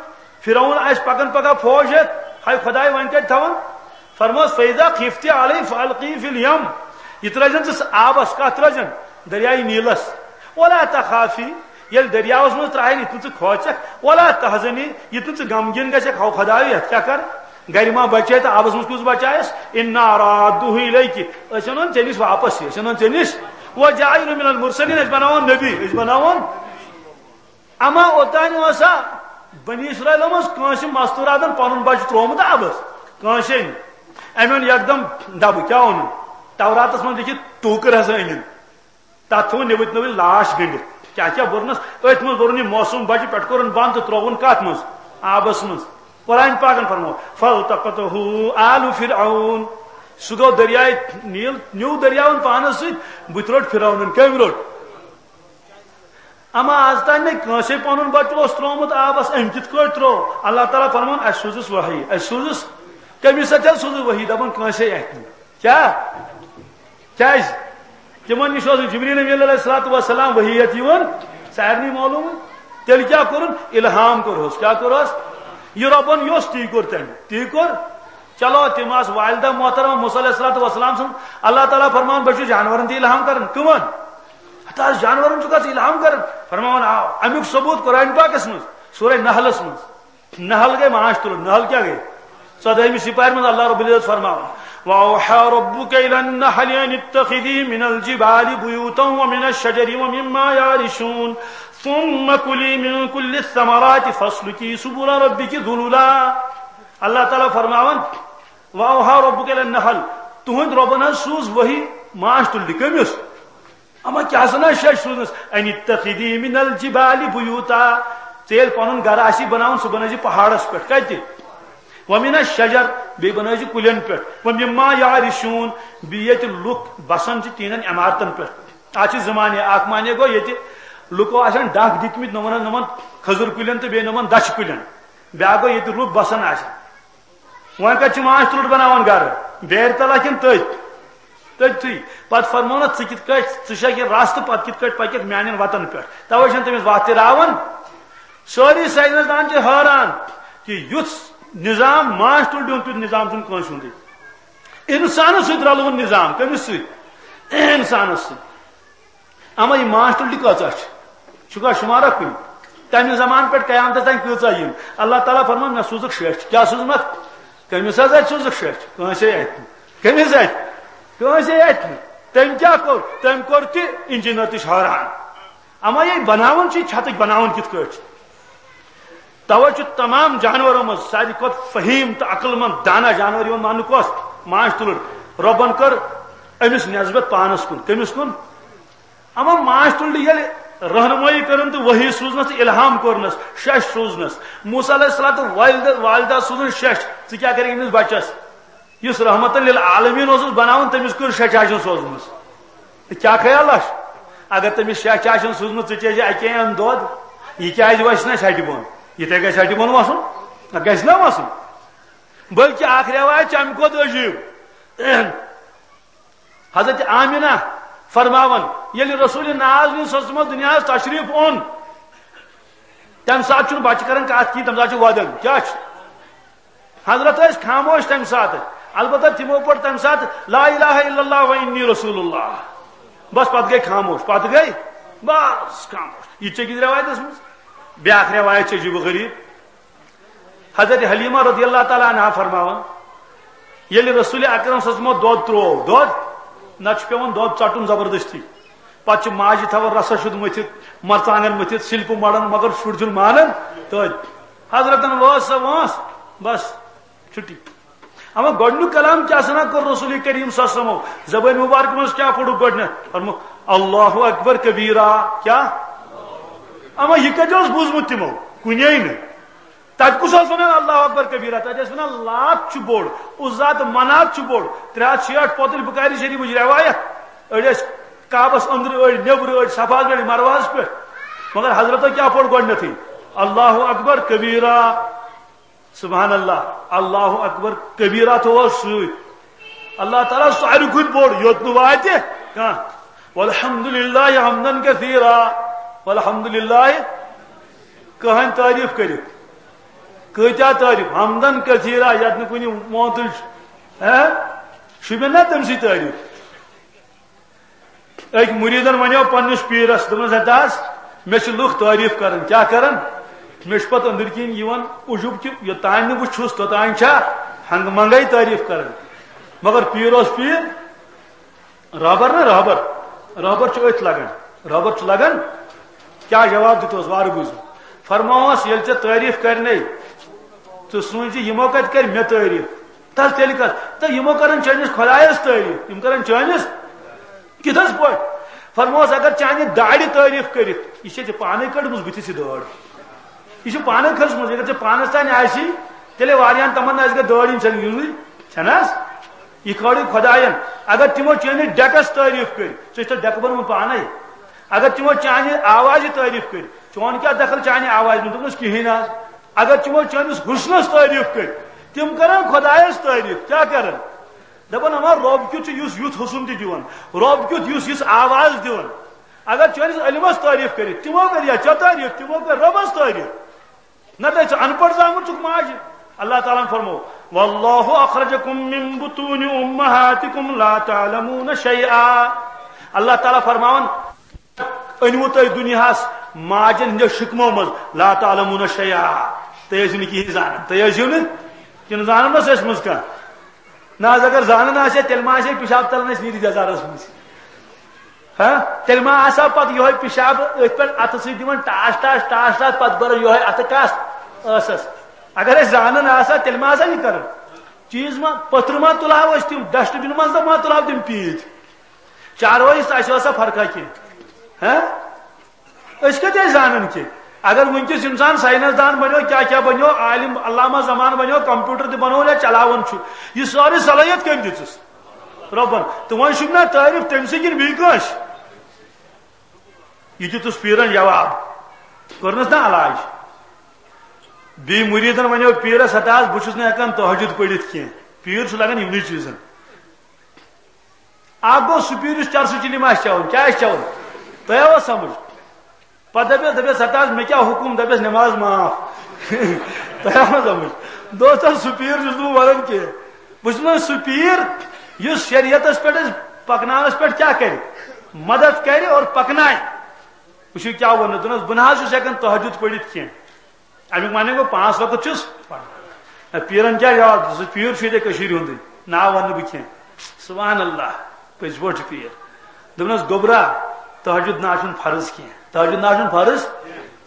فرعون آسہِ پکان پگاہ فوج ہٮ۪تھ، ہاے خداے وۄنۍ کتہِ تھاوان؟ فرموس، فاذا خفت علیہ فالقیہ فی الیم، یہِ ترٲزن ژٕ آبس۔ کتھ ترٲزن؟ دریائے نیلس۔ ولا تخافی، ییٚلہِ دریاوس منٛز ترٛاوکھ، یُتھ نہٕ ژٕ کھوژکھ، ولا تحزنی، یُتھ نہٕ ژٕ غمگیٖن گژھکھ، ہو خدایو، یتھ کیٛاہ کر؟ گرِ ما بچے تہٕ آبس منٛز کُس بچایس؟ انا رادوہ الیک، أسۍ انون ژےٚ نِش واپس یہِ، أسۍ انون ژےٚ نِش۔ وجاعلہ من المرسلین، أسۍ بناوون نبی، أسۍ بناوون۔ اما اوتانۍ اوسا بنی اسرائیلو منٛز کٲنٛسہِ مستوٗراتن پنُن بچہٕ ترٛوومُت آبس؟ کٲنٛسے نہٕ۔ أمۍ اوٚن یکدم ڈبہٕ، کیٛاہ اوٚنُن؟ توراتس منٛز لیکھِتھ ٹوٗکٕر ہسا أنِن۔ تتھ تھوٚو نِوٕتۍ نِوٕتۍ لاش گٔنڈِتھ۔ کیٛاہ کیٛاہ بوٚرنس؟ أتھۍ منٛز بوٚرُن یہِ معصوٗم بچہٕ، پٮ۪ٹھٕ کوٚرُن بنٛد تہٕ ترٛووُن کتھ منٛز؟ آبس منٛز۔ قرآن پاکن فرموو، فالتقطہ آل فرعون۔ سُہ گوٚو دریائے نیل، نیوٗ دریاون پانس سۭتۍ، بُتھِ روٚٹ فرعونن۔ کٔمۍ روٚٹ؟ اما از تام نہٕ کٲنٛسے پنُن بچہٕ اوس ترٛوومُت آبس، أمۍ کِتھ کٲٹھۍ ترٛوو؟ اللہ تعالیٰ فرماوان، اسہِ سوٗزُس وحی، اسہِ سوٗزُس۔ کٔمِس سۭتۍ حظ سوٗزُس وحی؟ دپان کٲنٛسے اَتھِ نہٕ۔ کیٛاہ؟ کیٛازِ؟ تِمن نِش اوس نہٕ جبریل امین علیہ الصلوۃ والسلام وحی ہٮ۪تھ یِوان، سارنٕے معلوم۔ تیٚلہِ کیٛاہ کوٚرُن؟ الہام کوٚرہوس۔ کیٛاہ کوٚرہوس؟ یہِ رۄبن یوٚژھ، تی کوٚر تٔمۍ، تی کوٚر۔ چلو، تِم آسہٕ والدہ محترمہ موسیٰ علیہ الصلوۃ والسلام سٕنٛز۔ اللہ تعالیٰ فرماوان، بہٕ چھُس جانورن تہِ الہام کران۔ کٕمن؟ ہتہٕ حظ جانورن چھُکھ ژٕ الہام کران؟ فرماوان، آ، امیُک ثبوت قرآن پاکس منٛز، سورہ نحلس منٛز۔ نحل گٔے ماچھ تُلُن۔ نحل کیٛاہ گٔے؟ ژۄدٲہمہِ سپارِ منٛز اللہ رب العزت فرماوان، وأوحى ربك إلى النحل أن اتخذي من الجبال بيوتا ومن الشجر ومما يعرشون ثم كلي من كل الثمرات فاسلكي سبل ربك ذللا۔ اللہ تعالیٰ فرماوان، وأوحى ربك إلى النحل، تُہنٛد رۄبن حظ سوٗز وحی ماچھ تُلنہِ۔ کٔمِس؟ اما کیٛاہ سنا شیچھ سوٗزنس؟ ان اتخذی من الجبال بیوتا، ژےٚ ییٚلہِ پنُن گرٕ آسی بناوُن، سُہ بنٲوزِ پہاڑس پٮ۪ٹھ۔ کتہِ؟ ومن الشجر، بیٚیہِ بنٲوزِ کُلٮ۪ن پٮ۪ٹھ۔ ومما یعرشون، بیٚیہِ ییٚتہِ لُکھ بسان چھِ تِہنٛدٮ۪ن عمارتن پٮ۪ٹھ۔ اتھ چھِ زٕ معنی۔ اکھ معنی گوٚو، ییٚتہِ لُکو آسن ڈکھ دِتمٕتۍ نوٚمن نوٚمن کھٔزٕر کُلٮ۪ن تہٕ بیٚیہِ نوٚمن دچھِ کُلٮ۪ن۔ بیٛاکھ گوٚو، ییٚتہِ لُکھ بسان آسن۔ وۄنۍ کتہِ چھِ ماچھ تُلُر بناوان گرٕ؟ بیرِ تلہ کِنہٕ تٔتھۍ؟ تٔتھٕے۔ پتہٕ فرموونس، ژٕ کِتھ کٲٹھۍ، ژٕ چھکھ یہِ رستہٕ، پتہٕ کِتھ کٲٹھۍ پککھ میانٮ۪ن وتن پٮ۪ٹھ؟ توے چھنہٕ تٔمِس وتھ تہِ راوان۔ سٲری ساینس دان چھِ حٲران کہِ یُتھ نظام، ماچھ تُلرِ ہُنٛد تیُتھ نظام چھُنہٕ کٲنٛسہِ ہُنٛدُے۔ انسانس سۭتۍ رلوُن نظام، کٔمِس سۭتۍ؟ انسانس سۭتۍ۔ اما یہِ ماچھ تُلرِ کۭژاہ چھِ؟ چھُکھا شُمارا کُنہِ؟ تمہِ زمانہٕ پٮ۪ٹھ قیامتس تام کۭژاہ یِن؟ اللہ تعالیٰ فرمان، مےٚ سوٗزُکھ شیٚچھ۔ کیٛاہ سوٗزمَکھ؟ کٔمِس حض اتہِ سوٗزُکھ شیٚچھ؟ کٲنٛسے اتہِ نہٕ۔ کٔمِس اتہِ؟ کٲنٛسے اتہِ نہٕ۔ تٔمۍ کیٛاہ کوٚر؟ تٔمۍ کوٚر تہِ، انجینئر تہِ چھِ حٲران۔ اما یہِ بناوان چھِ، چھتٕکۍ بناوان کِتھ کٲٹھۍ چھِ؟ توے چھُ تمام جانورو منٛز ساروی کھۄتہٕ فہیم تہٕ عقل مند دانا جانور یِوان ماننہٕ کۄس؟ ماچھ تُلر۔ رۄبن کٔر أمِس نسبت پانس کُن۔ کٔمِس کُن؟ اما ماچھ تُلرِ ییٚلہِ رہنمٲیی کٔرٕن تہٕ وحی سوٗزنس تہٕ الہام کوٚرنس، شش سوٗزنس، موسیٰ علیہ السلام تہٕ والدہ، والدہ سوٗزُن شش، ژٕ کیٛاہ کرکھ أمِس بچس؟ یُس رحمتن للعالمین اوسُس بناوُن، تٔمِس کٔر شچاشن سوزمٕژ۔ تہٕ کیٛاہ خیال چھُ؟ اگر تٔمِس شچاشن سوزمٕژ، ژٕ چیٚیہِ اکے اَنٛد دۄد، یہِ کیٛازِ وسہِ نہٕ شٹہِ بۄن؟ یِتھے گژھِ شٹہِ بۄن وسُن؟ نہ، گژھِ نہ وسُن۔ بلکہِ اکھ رٮ۪واج چھِ امہِ کھۄتہٕ عجیٖب۔ حضرت آمینہ فرماوان، ییٚلہِ رسول ناز صلی اللہ علیہ وسلم دُنیاہس تشریف اوٚن، تمہِ ساتہٕ چھُنہٕ بچہِ کران کتھ کِہیٖنۍ، تمہِ ساتہٕ چھُ ودان۔ کیٛاہ چھُ؟ حضرت ٲسۍ خاموش تمہِ ساتہٕ، البتہ تِمو پوٚر تمہِ ساتہٕ لا الہ الا اللہ و انی رسول اللہ۔ بس پتہٕ گٔے خاموش، پتہٕ گٔے بس خاموش۔ یہِ چھِ أکِس رٮ۪وایتس منٛز۔ بیٛاکھ رٮ۪وایت چھِ عجیب و غریب۔ حضرت حلیمہ رضی اللہ تعالیٰ عنہا فرماوان، ییٚلہِ رسول اکرم صلی اللہ علیہ وسلمو دۄد تروو، دۄد، نتہٕ چھُ پٮ۪وان دۄد ژٹُن زبردستی۔ پتہٕ چھِ ماجہِ تھاوان رسس شُد مٔتھِتھ، مرژانگن مٔتھِتھ، سِلپہٕ مڑان، مگر شُر چھُنہٕ مانان۔ تہٕ حضرتن وٲژ سۄ وٲنٛس، بس چھُٹی۔ اما گۄڈنیُک کلام کیٛاہ سنا کوٚر رسول کریم صلی اللہ علیہ وسلمو؟ زبٲنۍ مبارکہِ منٛز کیٛاہ پوٚرُکھ گۄڈنٮ۪تھ؟ فرموو، اللہ اکبر کبیرا۔ کیٛاہ؟ اما یہِ کتہِ اوس بوٗزمُت تِمو؟ کُنے نہٕ۔ تتہِ کُس اوس ونان اللہ اکبر کبیرہ؟ تتہِ ٲسۍ ونان لات چھُ بوٚڑ، عزا تہٕ منات چھُ بوٚڑ۔ ترٛےٚ ہتھ شیٹھ پوتٕلۍ بخاری شریفٕچ رٮ۪وایت۔ أڑۍ ٲسۍ کعبس أنٛدرٕ، أڑۍ نیٚبرٕ، أڑۍ صفاہس پٮ۪ٹھ، مروہس پٮ۪ٹھ۔ مگر حضرتو کیٛاہ پوٚر گۄڈنیتھٕے؟ اللہ اکبر کبیرہ۔ سبحان اللہ، اللہ اکبر کبیرہ تہِ اوس سۭتۍ۔ اللہ تعالیٰ ساروی کھۄتہٕ بوٚڑ، یوٚت نہٕ واتہِ کانٛہہ۔ والحمد للہ حمدن کثیرا۔ والحمد للہ، کٕہٕنۍ تعریف کٔرِتھ۔ کۭتیاہ تعریف؟ حمدن کثیرا، یتھ نہٕ کُنہِ مونتٕچ، ہہ؟ شوٗبہِ نا تٔمۍ سٕے تعریف؟ أکۍ مُریٖدن ونیو پننِس پیٖرس، دوٚپنس، "ہے داس، مےٚ چھِ لُکھ تعریف کران، کیٛاہ کران؟ مےٚ چھُ پتہٕ أنٛدٕرۍ کِنۍ یِوان عجوٗب کہِ یوٚتام نہٕ بہٕ چھُس، توٚتام چھا ہنٛگہٕ منٛگے تعریف کران۔" مگر پیٖر اوس پیٖر، رہبر نا رہبر، رہبر چھُ أتھۍ لگان، رہبر چھُ لگان۔ کیٛاہ جواب دیُتہوس؟ وارٕ بوٗزِو۔ فرمووس، ییٚلہِ ژےٚ تعریف کرنے، ژٕ سوٗنچ زِ یِمو کتہِ کرِ مےٚ تعریف؟ تس تیٚلہِ کتھ؟ تہٕ یِمو کرن چٲنِس خۄدایس تعریف، یِم کرن چٲنِس۔ کِتھ حظ پٲٹھۍ؟ فرمووس، اگر چانہِ داڑِ تعریف کٔرِتھ، یہِ چھے ژےٚ پانے کٔڑمٕژ بٕتھِس یہِ دٲڑ۔ یہِ چھِ پانے کھٔژمٕژ، اگر ژےٚ پانس تانۍ آسی، تیٚلے واریاہن تِمن آسہِ گٔے دٲڑ، یِم چھنہٕ یِنٕے، چھنہٕ حظ؟ یہِ کھٲڑٕے خۄداین۔ اگر تِمو چٲنِس ڈیکس تعریف کٔرۍ، ژےٚ چھُ تتھ ڈیکہٕ بنومُت پانے۔ اگر تِمو چانہِ آوازِ تعریف کٔرۍ، چون کیٛاہ دخل چانہِ آوازِ منٛز؟ دوٚپنس، کِہیٖنۍ حظ۔ اگر تِمو چٲنِس حُسنس تعریف کٔرۍ، تِم کرن خۄدایس تعریف۔ کیٛاہ کرن؟ دپان، اما رۄب کیُتھ چھُ یُس یُتھ حُسن تہِ دِوان، رۄب کیُتھ یُس یِژھ آواز دِوان۔ اگر چٲنِس علمس تعریف کٔرِتھ، تِمو کٔر یا ژےٚ تعریف، تِمو کٔر رۄبس تعریف۔ نتہٕ ژٕ ان پڑھ زامُت چھُکھ ماجہِ۔ اللہ تعالیٰ ہن فرموو، "واللہ اخرجکم من بطون امہاتکم لا تعلمون شیئا۔" اللہ تعالیٰ فرماوان، "أنِو تُہۍ دُنیاہس ماجن ہٕنٛدیو شکمو منٛز، لا تعلمون شیئا۔" تُہۍ ٲسِو نہٕ کِہیٖنۍ زانان، تُہۍ ٲسِو نہٕ کِنہٕ زانان ٲس اَسہِ منٛز کانٛہہ؟ نہ حظ، اگر زانان آسہِ ہا، تیٚلہِ ما آسہِ ہے پِشاب ژَلان اَسہِ نیٖرِتھ یَزارَس منٛز؟ ہا؟ تیٚلہِ ما آسہِ ہا پَتہٕ یِہوٚے پِشاب أتھۍ پٮ۪ٹھ اَتھٕ سۭتۍ دِوان ٹاس، ٹاس، ٹاس، ٹاس، پَتہٕ بَران یِہوٚے اَتھٕ کَس ٲسَس؟ اگر أسۍ زانان آسہِ ہا، تیٚلہِ ما آسہِ ہا یہِ کَران؟ چیٖز ما، پٔتھرٕ ما تُلہٕ ہاو أسۍ تِم، ڈسٹ بِن منٛز ما تُلہٕ ہاو تِم پیٖنتۍ؟ چاروٲیِس تہٕ اَسہِ ٲس سا فرقہ کینٛہہ؟ ہا؟ أسۍ کتہِ ٲسۍ زانان کہِ اگر وٕنکیٚس انسان ساینس دان بنیو، کیٛاہ کیٛاہ بنیو، عالم علامہ زمان بنیو، کمپیوٹر تہِ بنوو یا چلاوان چھُ، یہِ سٲرٕے صلٲحیت کٔمۍ دِژٕس؟ رۄبن۔ تہٕ وۄنۍ چھُم نا تعریف تٔمۍ سٕے کِنہٕ بیٚیہِ کٲنٛسہِ؟ یہِ دیُتُس پیٖرن جواب، کوٚرنَس نا علاج۔ بیٚیہِ مُریٖدن وَنیو پیٖرس، "ہتا حظ، بہٕ چھُس نہٕ ہٮ۪کان تہجد پٔرِتھ کینٛہہ۔" پیٖر چھُ لگان یِمنٕے چیٖزن۔ اکھ گوٚو سُہ پیٖر یُس چرسہٕ چِلِم آسہِ چٮ۪وان، کیٛاہ آسہِ چٮ۪وان؟ تۄہہِ آوا سمجھ؟ پتہٕ دپیس، دپیس، "ہتا حظ، مےٚ کیٛاہ حُکُم؟" دپیس، "نٮ۪ماز معاف۔" تۄہہِ آوا سمجھ؟ دوستو، سُہ پیٖر چھُس نہٕ بہٕ ونان کینٛہہ۔ بہٕ چھُس ونان سُہ پیٖر یُس شریعتس پٮ۪ٹھ أسۍ پکناونس پٮ۪ٹھ کیٛاہ کرِ؟ مدد کرِ اور پکنایہِ۔ وٕچھِو کیٛاہ ووٚنُن، دوٚپنَس، "بہٕ نہ حظ چھُس ہٮ۪کان تہجد پٔرِتھ کینٛہہ۔" اَمیُک معنی گوٚو، پانٛژھ وقت چھُس پَران۔ نہ، پیٖرَن کیٛاہ جواب دیُت؟ سُہ پیٖر چھُ ییٚتہِ کٔشیٖرِ ہُنٛدُے، ناو وَنہٕ نہٕ بہٕ کینٛہہ۔ سبحان اللہ، پٔزۍ پٲٹھۍ چھُ پیٖر۔ دوٚپنَس، "گوٚبرا، تہجد نہ چھُنہٕ فرض کینٛہہ، تہجد نہ چھُنہٕ فرض،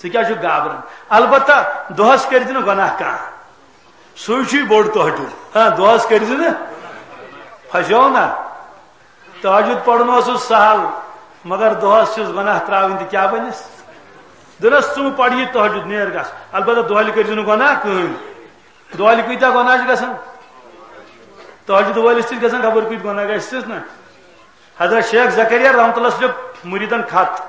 ژٕ کیٛاہ چھُکھ گابران؟ البتہ دۄہَس کٔرۍ زِ نہٕ گۄناہ کانٛہہ، سُے چھُے بوٚڑ تہجد۔ ہاں، دۄہَس کٔرۍ زِ نہٕ، پھسیو نہ۔" تہجد پرُن اوسُس سہل، مگر دۄہس چھُس گۄناہ تراوٕنۍ تہِ کیٛاہ بنٮ۪س؟ دوٚپنس، "ژٕ مہٕ پر یہِ تہجد، نیر گژھ۔ البتہ دۄہلہِ کٔرۍ زِ نہٕ گۄناہ کٕہٕنۍ۔" دۄہلہِ کۭتیاہ گۄناہ چھِ گژھان؟ تہجد وٲلِس تہِ چھِ گژھان خبر کۭتۍ گۄناہ، گژھِ سٕس نہ۔ حضرت شیخ زکریا رحمت اللہ لیوٚکھ مُریٖدن خط،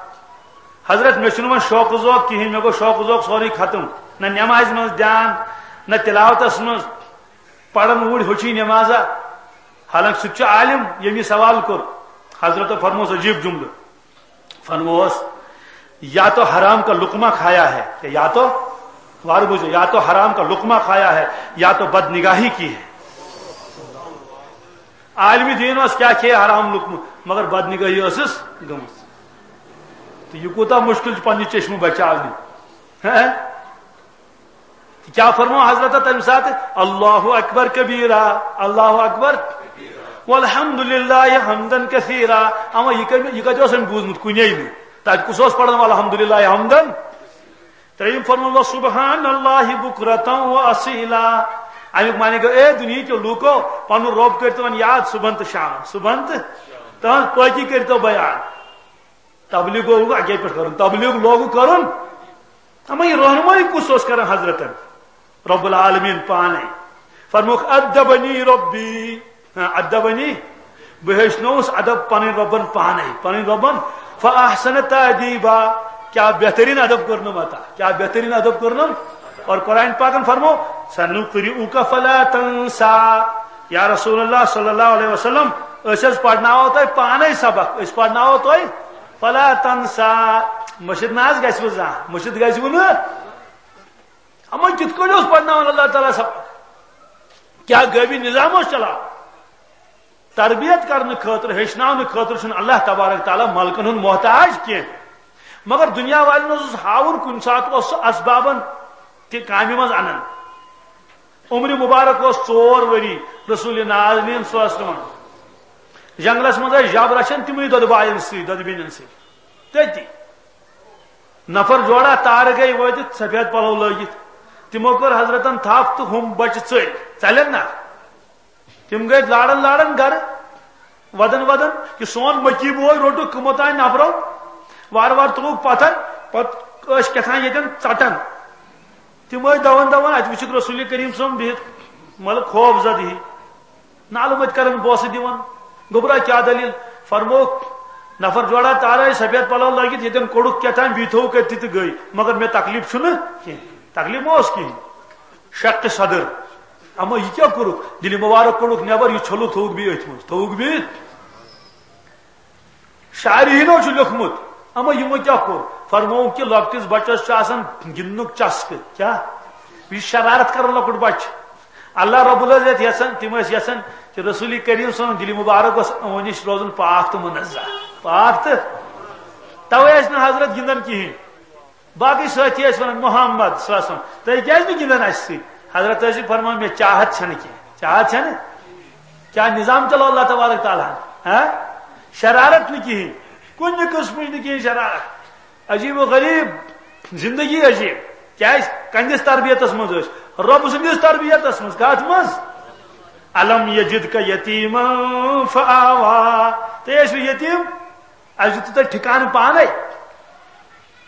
"حضرت، مےٚ چھُنہٕ وۄنۍ شوقہٕ ذوق کِہیٖنۍ، مےٚ گوٚو شوقہٕ ذوق سورُے ختم، نہ نٮ۪مازِ منٛز دھیان، نہ تلاوتس منٛز۔" پرن اوٗرۍ ہوٚچھُے نمازا، حالانکہ سُہ تہِ چھُ عالم، ییٚمۍ یہِ سوال کوٚر۔ حضرتو فرموس عجیب جملہٕ، فرموس، "یا تو حرام کا لقمہ کھایا ہے، یا تو"، وارٕ بوٗزِو، "یا تو حرام کا لقمہ کھایا ہے، یا تو بد نگاہی کی ہے۔" عالمِ دین اوس کیٛاہ کھیٚیہِ حرام لقمہٕ، مگر بد نگاہی ٲسٕس گٔمٕژ۔ تہٕ یہِ کوٗتاہ مُشکِل چھُ پننہِ چشمہٕ بچاونہِ۔ ہہ؟ تہٕ کیٛاہ فرموو حضرت تمہِ ساتہٕ؟ "اللہ اکبر کبیرا، اللہ اکبر والحمد للہ حمدن کثیرا۔" اما یہِ کتہِ، یہِ کتہِ اوس أمۍ بوٗزمُت؟ کُنے نہٕ۔ تتہِ کُس اوس پران الحمد للہ حمدن؟ ترٛیٚیِم فرموو، "سبحان اللہ بکرتم و اصیلا۔" امیُک معنی گوٚو، اے دُنیہٕکیو لوٗکو، پنُن رۄب کٔرۍتو وۄنۍ یاد صبحن تہٕ شامن، صبحن تہٕ تہنٛز پٲکی کٔرۍتو بیان۔ تبلیغ لوگُک اَکے پٮ۪ٹھ کَرُن، تبلیغ لوگُک کَرُن۔ اما یہِ رہنمٲیی کُس اوس کران حضرتن؟ رب العالمین پانے۔ فرموکھ، "ادبنی ربی"، ہاں، "ادبنی"، بہٕ ہیٚچھنووُس ادب پنٕنۍ رۄبن پانے، پنٕنۍ رۄبن۔ "فاحسن تادیبا"، کیٛاہ بہترین ادب کوٚرنم عطا، کیٛاہ بہترین ادب کوٚرنم۔ اور قرآن پاکن فرمو، "سنقرئک فلا تنسا"، یا رسول اللہ صلی اللہ علیہ وسلم، أسۍ حظ پرناوو تۄہہِ پانے سبق، أسۍ پرناوو تۄہہِ فلا تنسا۔ مٔشِد نہ حظ گژھِ وٕ زانٛہہ، مٔشِد گژھِ وٕ نہٕ۔ اما کِتھ کٔنۍ اوس پرناوان اللہ تعالیٰ سبق؟ کیٛاہ غٲبی نظام اوس چلاوان؟ تربیت کرنہٕ خٲطرٕ، ہیٚچھناونہٕ خٲطرٕ چھُنہٕ اللہ تبارک تعالیٰ ملکن ہُنٛد محتاج کینٛہہ۔ مگر دُنیا والٮ۪ن اوس ہاوُن کُنہِ ساتہٕ اوس سُہ اسبابن تہِ کامہِ منٛز انان۔ عمرِ مبارک اوس ژور ؤری رسول نازنین صلی اللہ علیہ وسلمن۔ جنگلس منٛز ٲسۍ جب رچھان تِمنٕے دۄدٕ باین سۭتۍ، دۄدٕ بیٚنٮ۪ن سۭتۍ۔ تٔتی نفر جوڑا تارٕ گٔے وٲتِتھ سفید پلو لٲگِتھ۔ تِمو کٔر حضرتن تھپھ تہٕ ہُم بچہِ ژٔلۍ۔ ژلن نا؟ تِم گٔے لاران لاران گرٕ، ودان ودان، یہِ سون مکی بوے روٚٹُکھ کٕمو تام نفرو، وارٕ وارٕ تُلُکھ پتھر، پتہٕ ٲسۍ کیٛاہ تام ییٚتٮ۪ن ژٹان۔ تِم ٲسۍ دوان دوان، اتہِ وٕچھُکھ رسول کریم صٲب بِہِتھ، مطلب خوف زدٕ ہی، نالہٕ مٔتۍ کران بوسہٕ دِوان۔ گوٚبرا کیٛاہ دٔلیٖل؟ فرمووُکھ، نفر جوڑا تارے سفید پلو لٲگِتھ، ییٚتٮ۪ن کوٚڑُکھ کیٛاہ تام، بیٚیہِ تھوٚوُکھ أتھی تہٕ گٔے، مگر مےٚ تکلیف چھُنہٕ کینٛہہ، تکلیف ما اوس کِہیٖنۍ؟ شق صدر۔ اما یہِ کیٛاہ کوٚرُکھ؟ دِلہِ مُبارک کوٚڑُکھ نٮ۪بر، یہِ ژھوٚلُکھ تھوٚوُکھ بیٚیہِ أتھۍ منٛز، تھوٚوُکھ بیٚیہِ۔ شارحیٖنو چھُ لیوٚکھمُت، اما یِمو کیٛاہ کوٚر؟ فرمووُکھ کہِ لۄکٹِس بچس چھُ آسان گِنٛدنُک چسکہٕ۔ کیٛاہ؟ یہِ چھُ شرارت کران لۄکُٹ بچہٕ۔ اللہ رب العزت یژھان، تِم ٲسۍ یژھان کہِ رسول کریم صلی اللہ علیہ وسلم دِلہِ مُبارک گوٚژھ یِمو نِش روزُن پاک تہٕ منزہ۔ پاک تہٕ توے ٲسۍ نہٕ حضرت گِنٛدان کِہیٖنۍ۔ باقٕے سٲتھی ٲسۍ ونان، "محمد صلی اللہ علیہ وسلم، تُہۍ کیٛازِ نہٕ گِنٛدان اَسہِ سۭتۍ؟" حضرت ٲسۍ فرمان، "مےٚ چاہت چھنہٕ کینٛہہ۔" چاہت چھنہٕ؟ کیٛاہ نظام چلو اللہ تبارک تعالیٰ ہن؟ ہاں؟ شرارت نہٕ کِہیٖنۍ، کُنہِ قٕسمٕچ نہٕ کِہیٖنۍ شرارت۔ عجیب و غریب زندگی عجیب۔ کیٛازِ؟ کَنِس تربیتس منٛز ٲسۍ، رۄب سٕنٛدِس تربیتس منٛز۔ کتھ منٛز؟ "الم یجدک یتیما فآوا"، تُہۍ ٲسِو یتیٖم، اَسہِ دیُتوٕ تۄہہِ ٹھکانہٕ پانے۔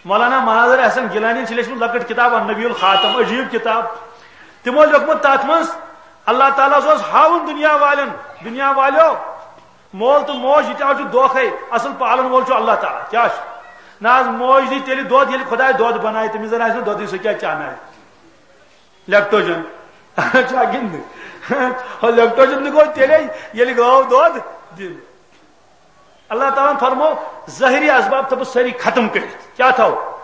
مولانا مناظر احسن گیلانین چھِ لیچھمٕژ لۄکٕٹ کِتاب النبی الخاتم، عجیٖب کِتاب۔ تِمو لیوٚکھمُت تَتھ منٛز، اللہ تعالیٰ ہَس اوس ہاوُن دُنیا والٮ۪ن، دُنیا والیو، مول تہٕ موج یہِ تہِ حظ چھُ دھوکھے، اَصٕل پالَن وول چھُ اللہ تعالیٰ۔ کیٛاہ چھُ؟ نہ حظ، موج دی تیٚلہِ دۄد، ییٚلہِ خۄداے دۄد بنایہِ، تٔمِس زَن آسہِ نہٕ دۄدٕے، سُہ کیٛاہ چانایہِ؟ لیکٹوجن۔ چھا کِنہٕ نہٕ؟ لیکٹوجن تہِ گوٚو تیٚلے، ییٚلہِ گٲو دۄد دِنۍ۔ اللہ تعالیٰ ہن فرمو، ظٲہری اسباب تھٲوو سٲری ختم کٔرِتھ۔ کیٛاہ تھاوو؟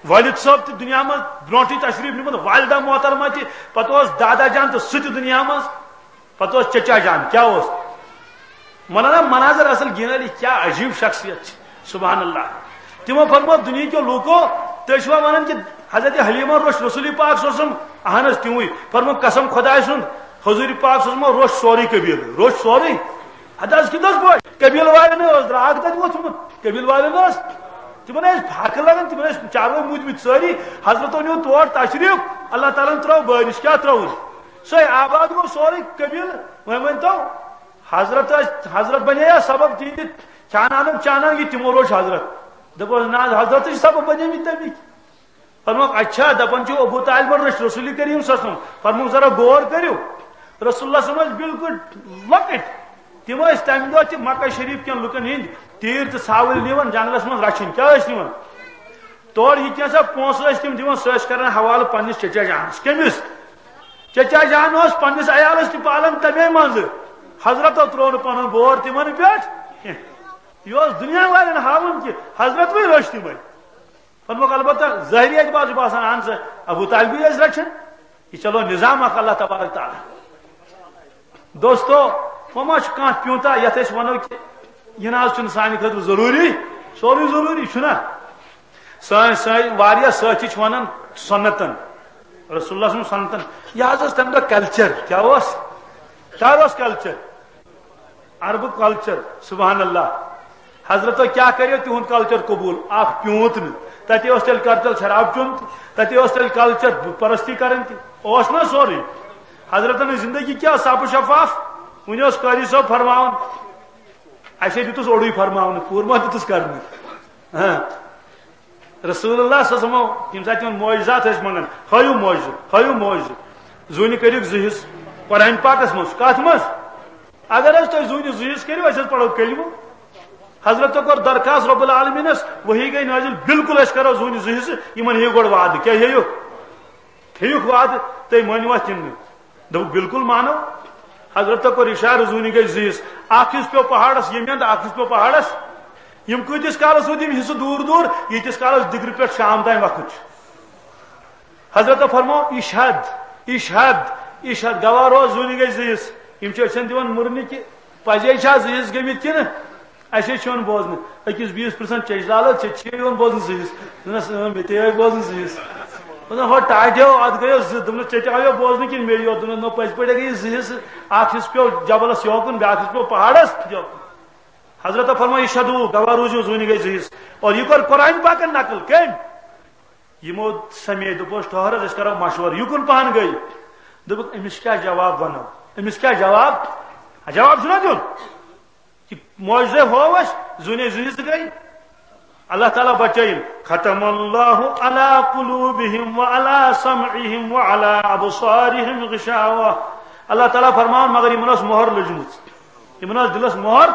والد صٲب تہِ دُنیا منٛز برونٛٹھٕے تشریف نیومُت، والدہ محترمہ تہِ، پتہٕ اوس دادا جان تہٕ سُہ تہِ دُنیا منٛز۔ پتہٕ اوس چچا جان، کیٛاہ اوس؟ مولانا مناظر اصل گیٖنٲلی، کیٛاہ عجیب شخصیت چھِ، سبحان اللہ۔ تِمو فرموو، دُنیہکیو لوٗکو، تُہۍ چھِوا ونان کہِ حضرت حلیمہ روٚچھ رسول پاک صلی اللہ علیہ وسلم؟ اہن حظ، تِموٕے۔ فرموو، قسم خۄداے سُنٛد، حضور پاک صلی اللہ علیہ وسلم روٚچھ سورُے قبیٖلہٕ، روٚچھ سورُے۔ ہتہٕ حظ کِتھ حظ پٲٹھۍ؟ قبیٖلہٕ والٮ۪ن اوس درٛاگ تتہِ ووٚتھمُت، قبیٖلہٕ والٮ۪ن اوس، تِمن ٲسۍ پھاکہٕ لگان، تِمن ٲسۍ چاروٲے موٗدمٕتۍ سٲری۔ حضرتو نیوٗ تور تشریٖف، اللہ تعالیٰ ہن ترٲو بٲرِش، کیٛاہ ترٲوٕن؟ سۄے آباد گوٚو سورُے قبیٖلہٕ۔ وۄنۍ ؤنۍ تو، حضرت ٲسۍ، حضرت بنے یا سبب تِہنٛدِ کھیانانُک چانان، یہِ تِمو روٚچھ حضرت۔ دوٚپُس، نہ حض، حضرت چھِ سبب بنے مٕتۍ تَمِکۍ۔ فرموکھ، اچھا، دپان چھِو ابو طالبن رٔچھ رسول کریم صلی اللہ علیہ وسلم۔ فرموکھ، ذرا غور کٔرِو، رسول اللہ صلی اللہ علیہ وسلم ٲسۍ بالکل لۄکٕٹۍ۔ تِم ٲسۍ تمہِ دۄہ تہِ مکہ شریف کٮ۪ن لُکن ہٕنٛدۍ تیٖر تہٕ ژھاوٕلۍ نِوان جنگلس منٛز رچھِنۍ۔ کیٛاہ ٲسۍ نِوان؟ تورٕ یہِ کینٛژھا پونٛسہٕ ٲسۍ تِم دِوان، سُہ ٲسۍ کران حوالہٕ پننِس چچا جانس۔ کٔمِس؟ چچا جان اوس پننِس عیالس تہِ پالان تمے منٛزٕ۔ حضرتو ترٛوو نہٕ پنُن بور تِمن پٮ۪ٹھ کینٛہہ۔ یہِ اوس دُنیا والٮ۪ن ہاوُن کہِ حضرت وۄنۍ رٔچھ تِمے۔ فرموکھ، البتہ ظٲہری اعتبار چھُ باسان، اہن سا، ابو طالبٕے ٲسۍ رچھان۔ یہِ چلو نظام اکھ اللہ تبارک تعالیٰ۔ دوستو، وۄنۍ ما چھُ کانٛہہ پیوٗنٛتاہ یتھ أسۍ ونو کہِ یہِ نہ حظ چھُنہٕ سانہِ خٲطرٕ ضروٗری، سورُے ضروٗری چھُنہ۔ سٲنۍ، سٲنۍ واریاہ سٲتھی چھِ ونان سنتن، رسول اللہ سُنٛد سنتن۔ یہِ حظ اوس تمہِ دۄہ کلچر۔ کیٛاہ اوس؟ کر اوس کلچر؟ عربُک کلچر، سبحان اللہ۔ حضرتو کیٛاہ کریو تِہُنٛد کلچر قبوٗل؟ اکھ پیوٗنٛت نہٕ۔ تتہِ اوس تیٚلہِ کلچر شراب چیوٚن تہِ، تتہِ اوس تیٚلہِ کلچر بُت پرستی کرٕنۍ تہِ، اوس نہ سورُے؟ حضرتن ہٕنٛز زندگی کیٛاہ صاف و شفاف؟ وُنہِ اوس قٲضی صٲب فرماوان، اسے دیُتُس اوٚڑُے فرماونہٕ، پوٗرٕ ما دیُتُس کرنہٕ؟ ہاں۔ رسول اللہ صلی اللہ علیہ وسلم، ییٚمہِ ساتہٕ تِمن معجزات ٲسۍ منٛگان، ہٲیِو معجزٕ، ہٲیِو معجزٕ۔ زوٗنہِ کٔرِکھ زٕ حصہٕ قرآن پاکس منٛز۔ کتھ منٛز؟ اگر حظ تُہۍ زوٗنہِ زٕ حصہٕ کٔرِو، أسۍ حظ پرو کلمہٕ۔ حضرتو کوٚر درخاست رب العالمینس، وحی گٔے نٲزِل، بالکل أسۍ کرو زوٗنہِ زٕ حصہٕ، یِمن ہیٚیِو گۄڈٕ وعدٕ۔ کیٛاہ ہیٚیِو؟ ہیٚیُکھ وعدٕ، تُہۍ مٲنِو اتھ کِنہٕ نہٕ؟ دوٚپُکھ، بالکل مانو۔ حضرتو کوٚر اِشارٕ، زوٗنہِ گٔے زٕ حصہٕ۔ اکھ حصہٕ پیوٚو پہاڑس ییٚمہِ اندٕ، اکھ حصہٕ پیوٚو پہاڑس۔ یِم کۭتِس کالس روٗدۍ یِم حصہٕ دوٗر دوٗر، ییٖتِس کالس دِگرٕ پٮ۪ٹھ شام تام وقت چھُ۔ حضرتو فرموو، اشہد، اشہد، اشہد، گواہ روز، زوٗنہِ گٔے زٕ حصہٕ۔ یِم چھِ أچھن دِوان مُرنہِ کہِ پزے چھا زٕ حصہٕ گٔمٕتۍ کِنہٕ؟ اَسہِ چھُ یِوان بوزنہٕ، أکِس بیٚیِس پرٛژھان، "چیٚچھ زالہٕ، ژےٚ چھِ یِوان بوزنہٕ زٕ حصہٕ؟" دوٚپنَس، "اۭں، مےٚ تہِ آیہِ بوزنہٕ زٕ حصہٕ۔" دوٚپنَس، "ہو ٹاٹھیو، اَتھ گٔیو زٕ۔" دوٚپنَس، "ژےٚ تہِ آیو بوزنہٕ کِنہٕ مےٚ یوت؟" دوٚپنَس، "نہ، پٔزۍ پٲٹھۍ گٔیہِ زٕ حصہٕ، اَکھ حصہٕ پیوٚو جبلَس یوکُن، بیٛاکھ حصہٕ پیوٚو پہاڑَس یوکُن۔" حضرت فرموو، "اشہدو، گواہ روٗزِو، زوٗنہِ گٔے زٕ حصہٕ۔" اور یہِ کوٚر قرآن پاکَن نقل، کٔمۍ؟ یِمو سمے، دوٚپُس، "ٹھٔہر حظ، أسۍ کَرو مشورٕ، یہِ کُن پَہَن گٔے؟" دوٚپُکھ، "أمِس کیٛاہ جواب وَنو؟ أمِس کیٛاہ جواب؟ جواب چھُنہ دیُن؟" کہ معجزے ہوو اسہِ، زوٗنے زٕ حصہٕ گٔے۔ اللہ تعالیٰ بچٲیِن۔ "ختم اللہ علی قلوبہم وعلی سمعہم وعلی ابصارہم غشاوہ۔" اللہ تعالیٰ فرماوان، مگر یِمن ٲس مۄہر لٔجمٕژ، یِمن ٲس دِلس مۄہر۔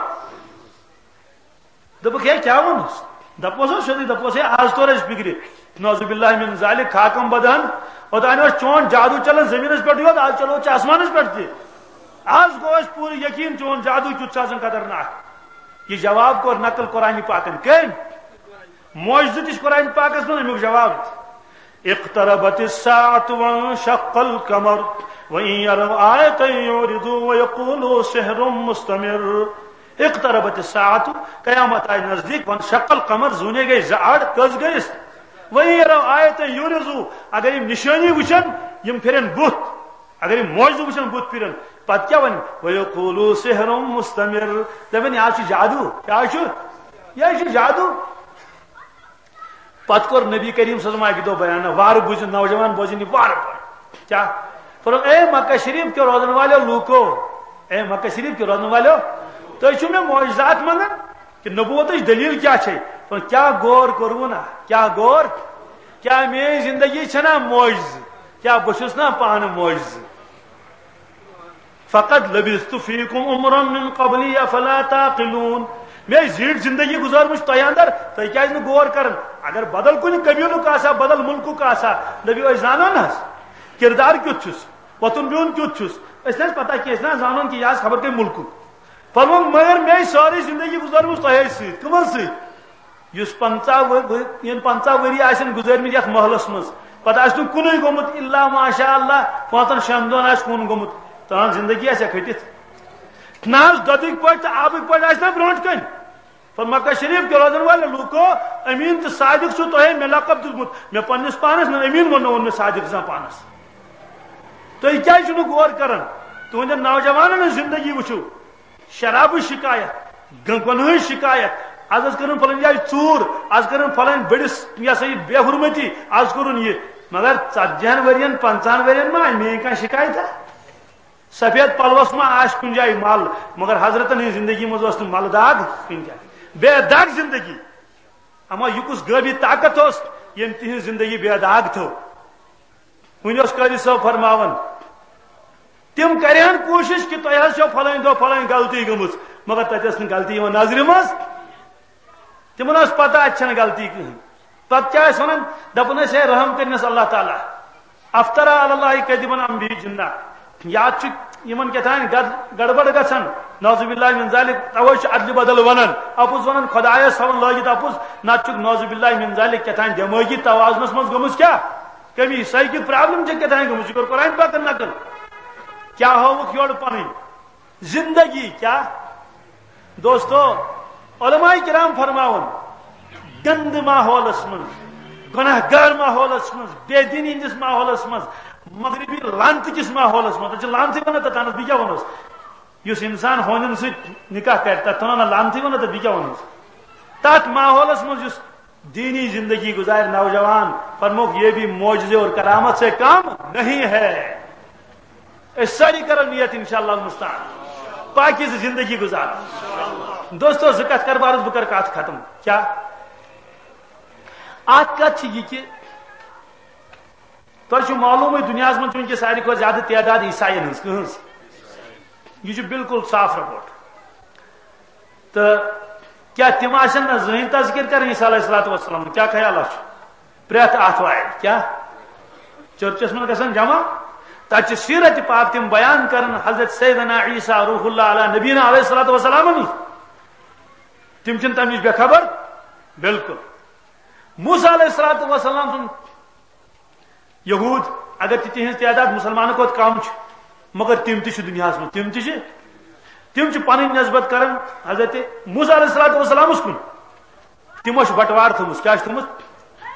دوٚپُکھ، "ہے، کیٛاہ ووٚنُس؟" دپوس حظ سیوٚدُے، دپوس، "ہے، آز توٚر اَسہِ فِکرِ، نعوذ باللہ من ذالک، خاکم بدہن، اوٚتانۍ اوس چون جادو چلان زٔمیٖنس پٮ۪ٹھٕے یوت، آز چلو ژےٚ آسمانس پٮ۪ٹھ تہِ۔ آز گوٚو اَسہِ پوٗرٕ یقیٖن چون جادو کیُتھ چھُ آسان خطرناک۔" یہِ جواب کوٚر نقل قرآن پاکن۔ کٔمۍ؟ معجزٕ تہِ چھِ قرآن پاکس منٛز، اَمیُک جواب تہِ۔ "اقتربت الساعة وانشق القمر وإن يروا آية يعرضوا ويقولوا سحر مستمر۔ اقتربت الساعة، قیامت آیہِ نزدیٖک، وانشق القمر، زوٗنے گٔے زٕ اَڑ، کٔژ گٔیِس؟ وإن يروا آية يعرضوا، اگر یِم نِشٲنی وٕچھن، یِم پھِرن بُتھ۔ اگر یِم معجزٕ وٕچھن، بُتھ پھِرن۔ پتہٕ کیٛاہ وَنن؟ وَيَقُولُوا سِحْرٌ مُسْتَمِرٌ۔ دَپن، "یہِ حظ چھُ جادو۔" کیٛاہ چھُ؟ یہِ حظ چھُ جادو۔ پتہٕ کوٚر نبی کریم صلی اللہ علیہ وسلم اَکہِ دۄہ بیان، وارٕ بوٗزِو نوجوان، بوزِن یہِ وارٕ وارٕ۔ کیٛاہ؟ فرموو، "اے مکہ شریف کیو روزن والٮ۪و لوٗکو، اے مکہ شریف کیو روزن والٮ۪و، تُہۍ چھِو مےٚ معجزات منٛگان؟" کہ نبوتٕچ دلیل کیٛاہ چھے؟ تہٕ کیٛاہ غور کوٚروٕ نا؟ کیٛاہ غور؟ کیٛاہ میٛٲنۍ زندگی چھےٚ نا معجزٕ؟ کیٛاہ بہٕ چھُس نا پانہٕ معجزٕ؟ "فقد لبثت فیکم عمرا من قبلی افلا تعقلون۔" مےٚ زیٖٹھ زندگی گُزٲرمٕژ تۄہہِ اندر، تُہۍ کیازِ نہٕ غور کران؟ اگر بدل کُنہِ قبیلُک آسہِ ہا، بدل مُلکُک آسہِ ہا، دٔپِو أسۍ زانو نہ حظ، کردار کیُتھ چھُس، وۄتھُن بِہُن کیُتھ چھُس، أسۍ نہ حظ پتہ کینٛہہ، أسۍ نہ حظ زانون کہِ یہِ آسہِ خبر کٔمۍ مُلکُک۔ فرمووُن، مگر مےٚ چھِ سٲرٕے زندگی گُزٲرمٕژ تۄہے سۭتۍ۔ کٕمن سۭتۍ؟ یُس پنٛژاہ ؤ-، ؤ-، یِم پنٛژاہ ؤری آسن گُزٲرمٕتۍ یتھ محلس منٛز، پتہٕ آسہِ نہٕ کُنُے گوٚمُت، الا ماشاء اللہ، پانٛژن شٮ۪ن دۄہن آسہِ کُن گوٚمُت، تہنٛز زندگی آسہِ کھٔٹِتھ۔ نہ حظ، دۄدٕکۍ پٲٹھۍ تہٕ آبٕکۍ پٲٹھۍ آسہِ نہ برونٛٹھ کنہِ۔ پر مکہ شریف کیو روزن والے لوٗکو، امین تہٕ صادق چھُو تۄہے مےٚ لقب دیُتمُت۔ مےٚ پننِس پانس نہٕ امین ووٚننہٕ ووٚن مےٚ صادق زانٛہہ پانس۔ تُہۍ کیازِ چھِو نہٕ غور کران؟ تُہنٛدٮ۪ن نوجوانن ہٕنٛز زندگی وٕچھِو۔ شرابٕچ شکایت، گنٛگن ہٕنٛز شکایت، از حظ کٔرٕن فلٲنۍ جایہِ ژوٗر، از کٔرٕن فلٲنۍ بٔڑِس، یہِ ہسا یہِ بے حرمتی، از کوٚرُن یہِ۔ مگر ژتجی ہن ؤرین، پنٛژاہن ؤرین ما آیہِ میٲنۍ کانٛہہ شکایتہ؟ سفید پلوس ما آسہِ کُنہِ جایہِ مل؟ مگر حضرتن ہٕنٛز زندگی منٛز ٲس نہٕ ملہٕ داغ کُنہِ جایہِ۔ بے داغ زندگی۔ اما یہِ کُس غٲبی طاقت اوس، ییٚمۍ تِہنٛز زندگی بے داغ تھٲو؟ وۄنۍ اوس قٲضی صٲب فرماوان، تِم کرِہن کوٗشش کہِ تۄہہِ حظ چھو فلٲنۍ دۄہ فلٲنۍ غلطی گٔمٕژ، مگر تتہِ ٲس نہٕ غلطی یِوان نظرِ منٛز۔ تِمن ٲس پتہ اتہِ چھنہٕ غلطی کٕہٕنۍ۔ پتہٕ کیٛاہ ٲسۍ ونان؟ دپان ٲسۍ، "ہے، رحم کٔرِنس اللہ تعالیٰ، افترا علی اللہ کذبا ام به جنہ۔" یا چھُ یِمن کیٛاہ تام گڑ-، گڑبڑ گژھان، نعوذ باللہ من ذالک، توے چھُ ادلہِ بدل ونان، اپُز ونان، خدایس تھاوان لٲگِتھ اپُز، نتہٕ چھُکھ نعوذ باللہ من ذالک کیٛاہ تام دٮ۪مٲغی توازنس منٛز گٔمٕژ کیٛاہ کٔمی، سایکل پرابلم چھےٚ کیٛاہ تام گٔمٕژ، یہِ کوٚر قرآن پاکن نقل۔ کیٛاہ ہٲوٕکھ یورٕ پنٕنۍ زندگی کیٛاہ؟ دوستو، علماء کرام فرماوان، گندٕ ماحولس منٛز، گناہ گار ماحولس منٛز، بے دینی ہٕنٛدِس ماحولس منٛز، مغربی لعنتہٕ کِس ماحولس منٛز، تتھ چھِ لعنتٕے ونان، تتھ تانس بیٚیہِ کیٛاہ ونوس؟ یُس انسان ہونٮ۪ن سۭتۍ نکاح کرِ، تتھ تھاوان لعنتٕے ونان، تتھ بیٚیہِ کیٛاہ ونوس؟ تتھ ماحولس منٛز یُس دینی زندگی گزارِ نوجوان، فرموک، یہ بھی معجزے اور کرامت سے کم نہیں ہے۔ أسۍ سٲری کرو نیت انشاءاللہ المستعان، پاکیزٕ زندگی گزارو۔ دوستو، زٕ کتھ کرٕ بہٕ عرض، بہٕ کرٕ کتھ ختم۔ کیٛاہ؟ اکھ کتھ چھِ یہِ کہِ تۄہہِ چھُ معلومٕے، دُنیاہَس منٛز چھُ وٕنکیٚس ساروی کھۄتہٕ زیادٕ تعداد عیسائین ہٕنٛز۔ کٕہٕنٛز؟ یہِ چھُ بالکل صاف رپورٹ۔ تہٕ کیٛاہ تِم آسن نہ زٕہٕنۍ تذکر کران عیسیٰ علیہ الصلوۃ والسلام؟ کیٛاہ خیال چھُ؟ پرٛٮ۪تھ آتھوارِ کیٛاہ چرچس منٛز گژھان جمع؟ تتہِ چھِ سیرت پاک تِم بیان کران، حضرت سیدنا عیسیٰ روح اللہ علیٰ نبینا علیہ الصلوۃ والسلام۔ تِم چھِنہٕ تمہِ نِش بے خبر؟ بالکل۔ موسیٰ علیہ الصلوۃ والسلام سُنٛد یہود، اگر تہِ تِہنٛز تعداد مسلمانو کھۄتہٕ کم چھِ، مگر تِم تہِ چھِ دُنیاہس منٛز، تِم تہِ چھِ، تِم چھِ پنٕنۍ نسبت کران حضرت موسیٰ علیہ الصلوۃ والسلامس کُن۔ تِمو چھِ بٹوار تھٲومٕژ، کیٛاہ چھِ تھٲومٕژ؟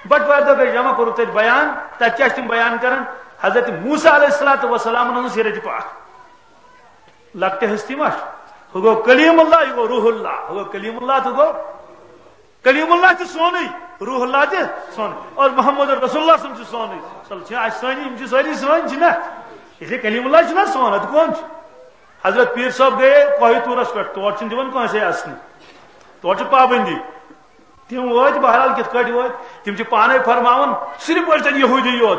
بٹوارِ دۄہ گٔے جمع، کوٚرُکھ تتہِ بیان، تتہِ کیٛاہ چھِ تِم بیان کران؟ حضرت موسیٰ علیہ الصلوۃ والسلام ہٕنٛز سیرت پاک۔ لۄکٹہِ ہستی ما چھِ؟ ہُہ گوٚو کلیم اللہ، یہِ گوٚو روح اللہ، ہُہ گوٚو کلیم اللہ تہٕ ہُہ گوٚو کلیم اللہ تہِ سونُے، روح اللہ تہِ سونُے، اور محمد رسول اللہ صلی اللہ علیہ وسلم چھُ سونُے۔ چلو، چھِ اَسہِ سٲنی، یِم چھِ سٲری سٲنۍ، چھِنہ؟ یہِ چھِ کلیم اللہ چھُنہ سون، اَدٕ کون چھُ؟ حضرت پیٖر صٲب گٔیے کوہِ طوٗرس پٮ۪ٹھ، تور چھِنہٕ دِوان کٲنٛسے اَژنہِ، تور چھِ پابندی۔ تِم وٲتۍ، بہرحال کِتھ کٲٹھۍ وٲتۍ؟ تِم چھِ پانے فرماوان، صرف ٲسۍ تَتہِ یہوٗدی یوت،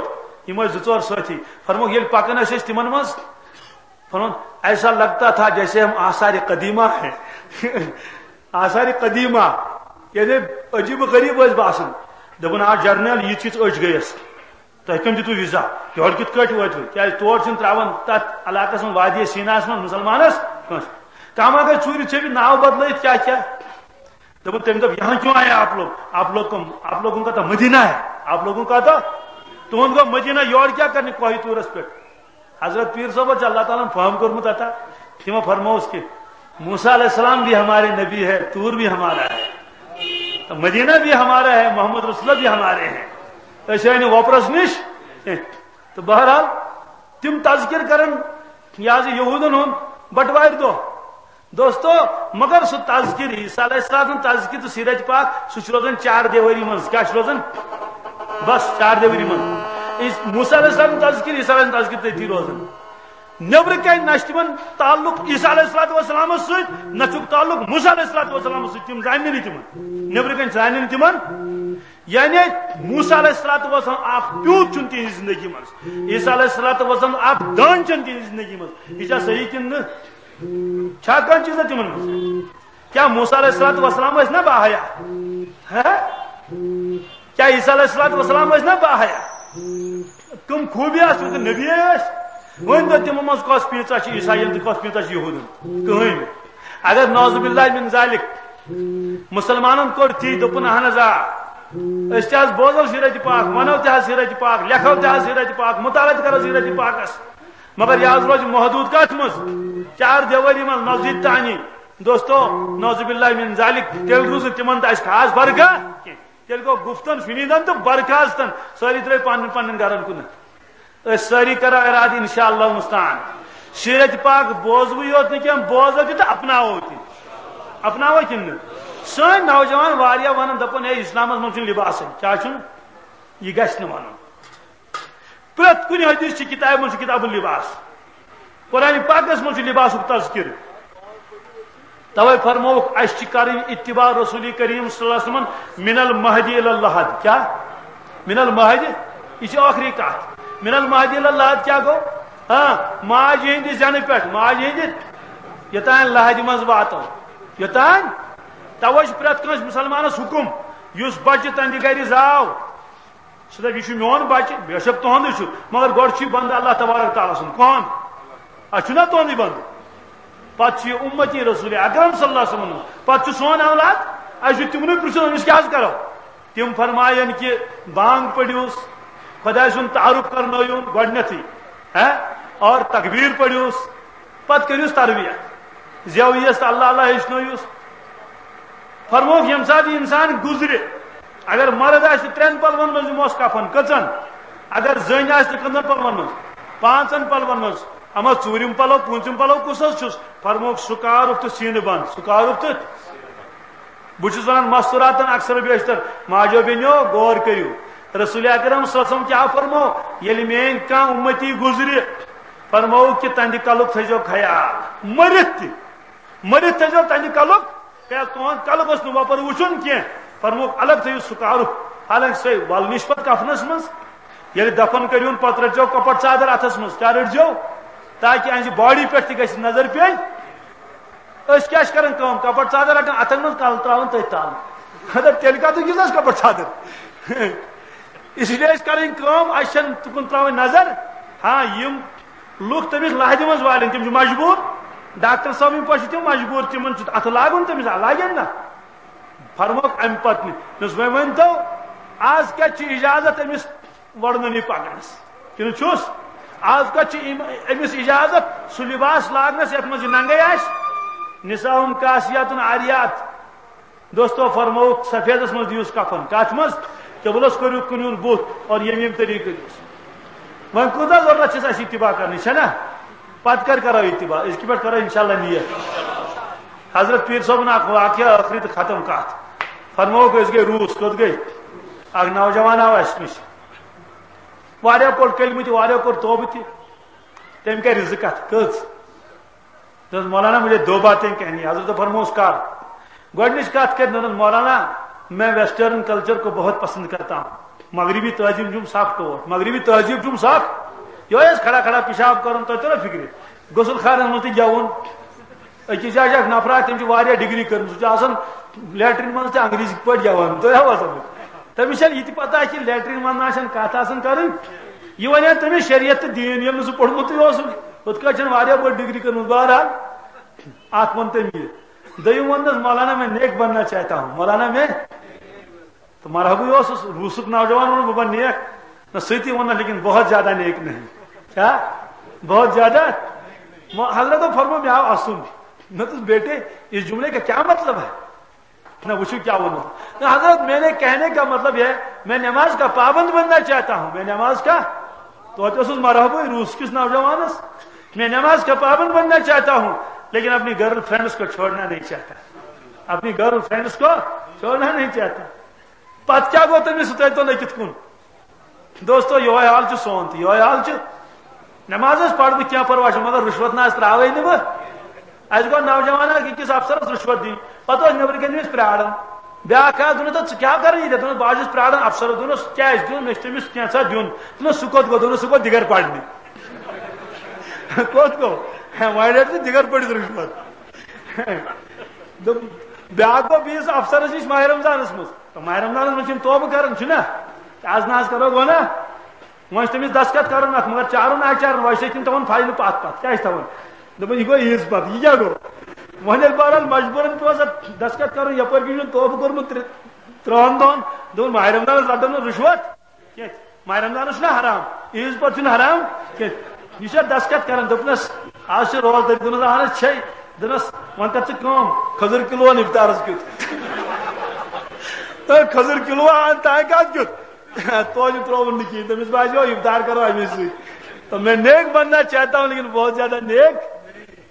یِم ٲسۍ زٕ ژور سٲتھی۔ فرموکھ، ییٚلہِ پکان ٲسۍ أسۍ تِمن منٛز، فرموکھ، ایسا لگتا تھا جیسے ہم آثار قدیمہ ہیں۔ آثار قدیمہ، یعنی عجیب و غریب ٲسۍ باسان۔ دوٚپُن، آ جرنیل، یِژھ یِژھ أچھ گٔیَس۔ تۄہہِ کٔمۍ دیُتوٕ ویٖزا؟ یورٕ کِتھ کٲٹھۍ وٲتوٕ؟ کیٛازِ تور چھِنہٕ ترٛاوان تَتھ علاقَس منٛز وادی سیٖناہَس منٛز مُسلمانَس کٲنٛسہِ۔ کانٛہہ ما گژھِ ژوٗرِ ژھیٚپہِ ناو بدلٲیِتھ کیٛاہ کیٛاہ؟ دوٚپُن، تٔمۍ دوٚپ، یہاں کیوں آئے آپ لوگ؟ آپ لوگ کو، آپ لوگوں کا تو مدینہ ہے، آپ لوگوں کا تو، تُہُنٛد گوٚو مدینہ، یورٕ کیٛاہ کرنہِ کوہِ طوٗرَس پٮ۪ٹھ؟ حضرت پیٖر صٲب چھِ اللہ تعالیٰ ہن فہم کوٚرمُت عطا، تِمو فرمووُس کہِ موسیٰ علیہ السلام بھی ہمارے نبی ہے، طور بھی ہمارا ہے، مدینہ بھی ہمارا ہے، محمد رسول اللہ بھی ہمارے ہیں، أسۍ آے نہٕ وۄپرس نِش کینٛہہ۔ تہٕ بہرحال تِم تذکر کرن یہِ حظ یہِ یہوٗدن ہُنٛد بٹوارِ دۄہ۔ دوستو، مگر سُہ تذکر، عیسیٰ علیہ السلام سُنٛد تذکر تہٕ سیرت پاک، سُہ چھُ روزان چار دیوٲری منٛز۔ کیٛاہ چھُ روزان؟ بس چار دیوٲری منٛز۔ عیس-، موسیٰ علیہ السلام سُنٛد تذکر، عیسیٰ علیہ السلام سُنٛد تذکر تٔتی روزان۔ نیبرٕ کنہِ نہ چھُ تِمن تعلق عیسیٰ علیہ الصلوۃ والسلامس سۭتۍ، نہ چھُکھ تعلق موسیٰ علیہ الصلوۃ والسلامس سۭتۍ، تِم زانہِ نہٕ تِمن۔ نیبرٕ کنہِ زانہِ نہٕ تِمن۔ یعنی موسیٰ علیہ الصلوۃ والسلام اکھ پیوٗت چھُنہٕ تِہنٛزِ زندگی منٛز۔ عیسیٰ علیہ الصلوۃ والسلام اکھ دٲن چھَنہٕ تِہنٛزِ زندگی منٛز۔ یہِ چھا صحیح کِنہٕ نہٕ؟ چھا کانٛہہ چیٖزا تِمن منٛز؟ کیا موسیٰ علیہ الصلوۃ والسلام ٲسۍ نا باحیا؟ ہہ؟ کیا عیسیٰ علیہ الصلوۃ والسلام ٲسۍ نا باحیا؟ تِم خوٗبی آسہٕ تِم نبی ٲسۍ؟ وۄنۍ دۄہ تِمو منٛز کۄس پیٖژاہ چھِ عیسائیَن تہٕ کۄس پیٖژاہ چھِ یہوٗدن؟ کٕہٕنۍ نہٕ۔ اگر نعوذ باللہ من ذالک مسلمانن کوٚر تی، دوٚپُن، اہن حظ آ، أسۍ تہِ حظ بوزو سیرت پاک، ونو تہِ حظ سیرت پاک، لیکھو تہِ حظ سیرت پاک، مطالعہ تہِ کرو سیرت پاکس، مگر یہِ حظ روزِ محدوٗد کتھ منٛز؟ چار دیوٲری منٛز، مسجد تانی۔ دوستو، نعوذ باللہ من ذالک، تیٚلہِ روٗز نہٕ تِمن تہٕ اَسہِ خاص برکہ کینٛہہ۔ تیٚلہِ گوٚو گُفتن شُنیٖدن تہٕ برکھاستن، سٲری درٛاے پننٮ۪ن پننٮ۪ن گرن کُن۔ أسۍ سٲری کرو ارادٕ انشاءاللہ المستعان۔ سیرت پاک بوزوٕے یوت نہٕ کینٛہہ، بوزو تہِ تہٕ اپناوو تہِ۔ اپناوو کِنہٕ نہٕ؟ سٲنۍ نوجوان واریاہ ونان، دپان، ہے، اسلامس منٛز چھُنہٕ لباسٕے۔ کیٛاہ چھُنہٕ؟ یہِ گژھِ نہٕ ونُن۔ پرٛٮ۪تھ کُنہِ حدیث چہِ کتابہِ منٛز چھُ کتاب اللباس۔ قرآن پاکس منٛز چھُ لباسُک تذکرٕ۔ توے فرمووُکھ، اسہِ چھِ کرٕنۍ اتباع رسول کریم صلی اللہ علیہ وسلم من المہدی الی اللحد۔ کیا؟ من المہدی، یہِ چھِ ٲخری کتھ۔ من المہدی الی اللحد کیا گوٚو؟ ہاں، ماجہِ ہٕنٛدِ زینہٕ پٮ۪ٹھ، ماجہِ ہٕنٛدِ، یوٚتام لحدِ منٛز واتو۔ یوٚتام۔ توے چھُ پرٛٮ۪تھ کٲنٛسہِ مسلمانس حکم، یُس بچہِ تہنٛدِ گرِ زاو، سُہ دَپہِ، یہِ چھُ میون بچہِ، بے شک تُہُنٛدُے چھُ، مگر گۄڈٕ چھُ یہِ بندٕ اللہ تبارک تعالیٰ سُنٛد۔ کون؟ اَسہِ چھُنہ تُہُنٛدُے بندٕ؟ پتہٕ چھُ یہِ اُمتی رسول اکرم صلی اللہ علیہ وسلم، پتہٕ چھُ سون اولاد، اَسہِ چھُ تِمنٕے پرٛژھُن، أمِس کیٛاہ حظ کرو؟ تِم فرمایَن کہِ بانگ پٔرِوس، خۄداے سُنٛد تعارُف کرنٲیِوُن گۄڈٕنیتھٕے، ہے، اور تکبیر پٔرِوس، پتہٕ کٔرِوس تربیت، زیو یِیَس تہٕ اللہ اللہ ہیٚچھنٲیِوس۔ فرمووُکھ، ییٚمہِ ساتہٕ یہِ انسان گُزرِ، اگر مرد آسہِ ترٛٮ۪ن پلون منٛز دِموس کفن، کٔژن؟ اگر زٔنۍ آسہِ تہٕ کٔژن پلون منٛز؟ پانٛژن پلون منٛز۔ اما ژوٗرِم پلو، پوٗنٛژِم پلو کُس حظ چھُس؟ فرمووُکھ، سُہ کارُک تہٕ سیٖنہٕ بنٛد، سُہ کارُک تہٕ۔ بہٕ چھُس ونان مستوراتن اکثر و بیشتر، ماجو بیٚنیو، غور کٔرِو، رسول اکرم صلی اللہ علیہ وسلم کیٛاہ فرمو؟ ییٚلہِ میٲنۍ کانٛہہ اُمتی گُزرِ، فرمووُکھ کہِ تہنٛدِ کلُک تھٲیزیو خیال، مٔرِتھ تہِ، مٔرِتھ تھٲیزیو تہنٛدِ کلُک، کیٛازِ تُہُنٛد کلہٕ گوٚژھ نہٕ وۄپر وُچھُن کینٛہہ۔ فرمووُکھ، الگ تھٲیِو سُہ کارُک، حالانکہِ سۄے ولنِش پتہٕ کفنس منٛز۔ ییٚلہِ دفن کٔرِوُن، پتہٕ رٔٹزیو کپٹ ژادر اتھس منٛز۔ کیٛاہ رٔٹزیو؟ تاکہِ اہنٛزِ باڈی پٮ۪ٹھ تہِ گژھِ نظر پیٚنۍ۔ أسۍ کیٛاہ چھِ کران کٲم؟ کپٹ ژادر رٹان اتھن منٛز، کلہٕ تراوان تٔتھۍ تل۔ مطلب، تیٚلہِ کتھ گِنٛز اَسہِ کپٹ ژادر؟ اس لیے أسۍ کرٕنۍ کٲم، اَسہِ چھَنہٕ تُکُن تراوٕنۍ نظر۔ ہاں، یِم لُکھ تٔمِس لحدِ منٛز والن، تِم چھِ مجبوٗر۔ ڈاکٹر صٲب، یِم پٲٹھۍ چھِ تِم مجبوٗر، تِمن چھُ اتھٕ لاگُن، تٔمِس لاگن نہ۔ فرموکھ امہِ پتہٕ نہٕ، دوٚپُس، وۄنۍ ؤنۍ تو، آز کتہِ چھِ اجازت أمِس وڑنہٕ نِش پکنس؟ کِنہٕ چھُس؟ آز کتہِ چھِ أمۍ، أمِس اجازت سُہ لباس لاگنس یتھ منٛز یہِ ننگے آسہِ؟ نساؤہن کاسیات عاریات۔ دوستو، فرمووُکھ، سفیدس منٛز دِیوس کفن۔ کتھ منٛز؟ قبلس کٔرِو کُنیُن بُتھ اور ییٚمہِ ییٚمہِ طریقہٕ کٔرِوس۔ وۄنۍ کوٗتاہ ضروٗرت چھِ اَسہِ اتباع کرنٕچ، چھےٚ نا؟ پتہٕ کر کرو اتباع؟ أزکہِ پٮ۪ٹھ کرو انشاءاللہ نیت۔ حضرت پیٖر صٲبُن اکھ واقعہ، ٲخری تہٕ ختم کتھ۔ فرمووُکھ، أسۍ گٔے روٗس، کوٚت گٔے؟ اکھ نوجوان آو اَسہِ نِش۔ واریاہ پوٚر کلمہٕ تہِ، واریاہ کوٚر توبہٕ تہِ۔ تٔمۍ کرِ زٕ کتھٕ۔ کٔژ؟ دوٚپُس، مولانا، مجھے دو باتیں کہنی۔ حضرت فرموس، کر؟ گۄڈٕنِچ کتھ کرِ، دوٚپُن، مولانا، میں ویسٹرن کلچر کو بہت پسند کرتا ہوں۔ مغربی تہذیب چھُم سخ ٹوٹھ، مغربی تہذیب چھُم سخ۔ یہوے ٲس کھڑا کھڑا پیشاب کرُن، تۄہہِ توٚرا فکرِ؟ غسل خانس منٛز تہِ گٮ۪وُن۔ أکِس جایہِ چھِ اکھ نفرا، تٔمۍ چھِ واریاہ ڈگری کٔرمٕژ، سُہ چھُ آسان لیٹرین منٛز تہِ انگریزی پٲٹھۍ گٮ۪وان۔ تۄہہِ آوا سمجھ؟ تٔمِس چھَنہٕ یہِ تہِ پتہ کہِ لیٹرین منٛز نہ چھَنہٕ کتھ آسان کرٕنۍ۔ یہِ وَنہِ ہا تٔمِس شریعت تہٕ دیٖن، ییٚلہِ نہٕ سُہ پوٚرمُتٕے اوسُن۔ ہُتھ کٲٹھۍ چھَنہٕ واریاہ بٔڑ ڈگری کٔرمٕژ۔ بہرحال، اکھ ووٚن تٔمۍ یہِ۔ دوٚیِم ووٚننَس، مولانا، میں نیک بننا چاہتا ہوں۔ مولانا، میں، تو مرحبا اوسُس، روٗسُک نوجوان ووٚن، بہٕ بنہٕ نیک۔ نہ، سُہ تہِ ووٚننَس، لیکن بہت زیادہ نیک نہیں۔ کیا؟ بہت زیادہ؟ مو-، حضرت فرمو، مےٚ آو اَسُن۔ مےٚ دوٚپُس، بیٹے، اس جملے کا کیا مطلب ہے؟ نہ، وٕچھِو کیٛاہ ووٚنُن۔ نہ حضرت، میرے کہنے کا مطلب ہے، میں نماز کا پابند بننا چاہتا ہوں، میں نماز کا، توتہِ اوسُس مرحبا روٗس کِس نوجوانس، میں نماز کا پابند بننا چاہتا ہوں، لیکن اپنی گرل فرینڈس کو چھوڑنا نہیں چاہتا، اپنی گرل فرینڈس کو چھوڑنا نہیں چاہتا۔ پتہٕ کیٛاہ گوٚو تٔمِس، سُہ تٔرۍ تو نہٕ کِتھ کُن۔ دوستو، یہوے حال چھُ سون تہِ، یہوے حال چھُ۔ نماز حظ پرٕ بہٕ، کینٛہہ پرواے چھُنہٕ، مگر رُشوت نہ حظ ترٛاوے نہٕ بہٕ۔ اَسہِ گوٚو نوجوان اکھ أکِس افسرس رُشوت دِنۍ، پتہٕ اوس نیٚبرٕ کَنہِ أمِس پرٛاران۔ بیٛاکھ آو، دوٚپُن، "ژٕ کیٛاہ کران ییٚتٮ۪تھ؟" دوٚپُن، "بہٕ حظ چھُس پرٛاران افسرس۔" دوٚپنَس، "کیٛازِ؟" دوٚپُن، "مےٚ چھُ تٔمِس کینٛژھا دیُن۔" دوٚپنَس، "سُہ کوٚت گوٚو؟" دوٚپنَس، "سُہ گوٚو دِگر پرنہِ۔" کوٚت گوٚو؟ وۄنۍ رَٹ ژٕ دِگر پٔرِتھ رُشوت۔ دوٚپ، بیٛاکھ گوٚو بیٚیِس افسرس نِش ماہِ رمضانس منٛز۔ تہٕ ماہِ رمضانس منٛز چھِ یِم توبہٕ کران، چھُنہ؟ تہٕ از نہ از کرو گۄناہ۔ وۄنۍ چھُ تٔمِس دستخط کرُن اتھ، مگر چارُن نہ چارُن، وۄنۍ چھِ تِم تھاوان فایلہٕ پتھ پتھ۔ کیٛاہ چھِ تھاوان؟ دوٚپُن، یہِ گوٚو عیٖد پتہٕ، یہِ کیٛاہ گوٚو؟ وۄنۍ ییٚلہِ بہرحال مجبوٗرن پیوٚو اتھ دستخط کرُن، یپٲرۍ کِنۍ چھُنہٕ توبہٕ کوٚرمُت ترٛ-، ترٛہن دۄہن، دوٚپُن، ماہِ رمضانس رٹو نہٕ رُشوت۔ کینٛہہ۔ ماہِ رمضانس چھُنہ حرام، عیٖذ پتہٕ چھُنہٕ حرام کینٛہہ۔ یہِ چھا دستخط کران، دوٚپنس، "از چھِ روزدٲری؟" دوٚپنس، "اہن حظ چھے۔" دوٚپنس، "وۄنۍ کر ژٕ کٲم، کھٔزٕر کِلوٗ اَن افطارس کیُتھ۔" تہٕ کھٔزٕر کِلوٗ اَن، تانۍ کتھ کیُتھ؟ توتہِ ترٛووُن نہٕ کِہیٖنۍ، تٔمِس باسیو افطار کرو اَمی سۭتۍ۔ تو میں نیک بننا چاہتا ہوں، لیکن بہت زیادہ نیک۔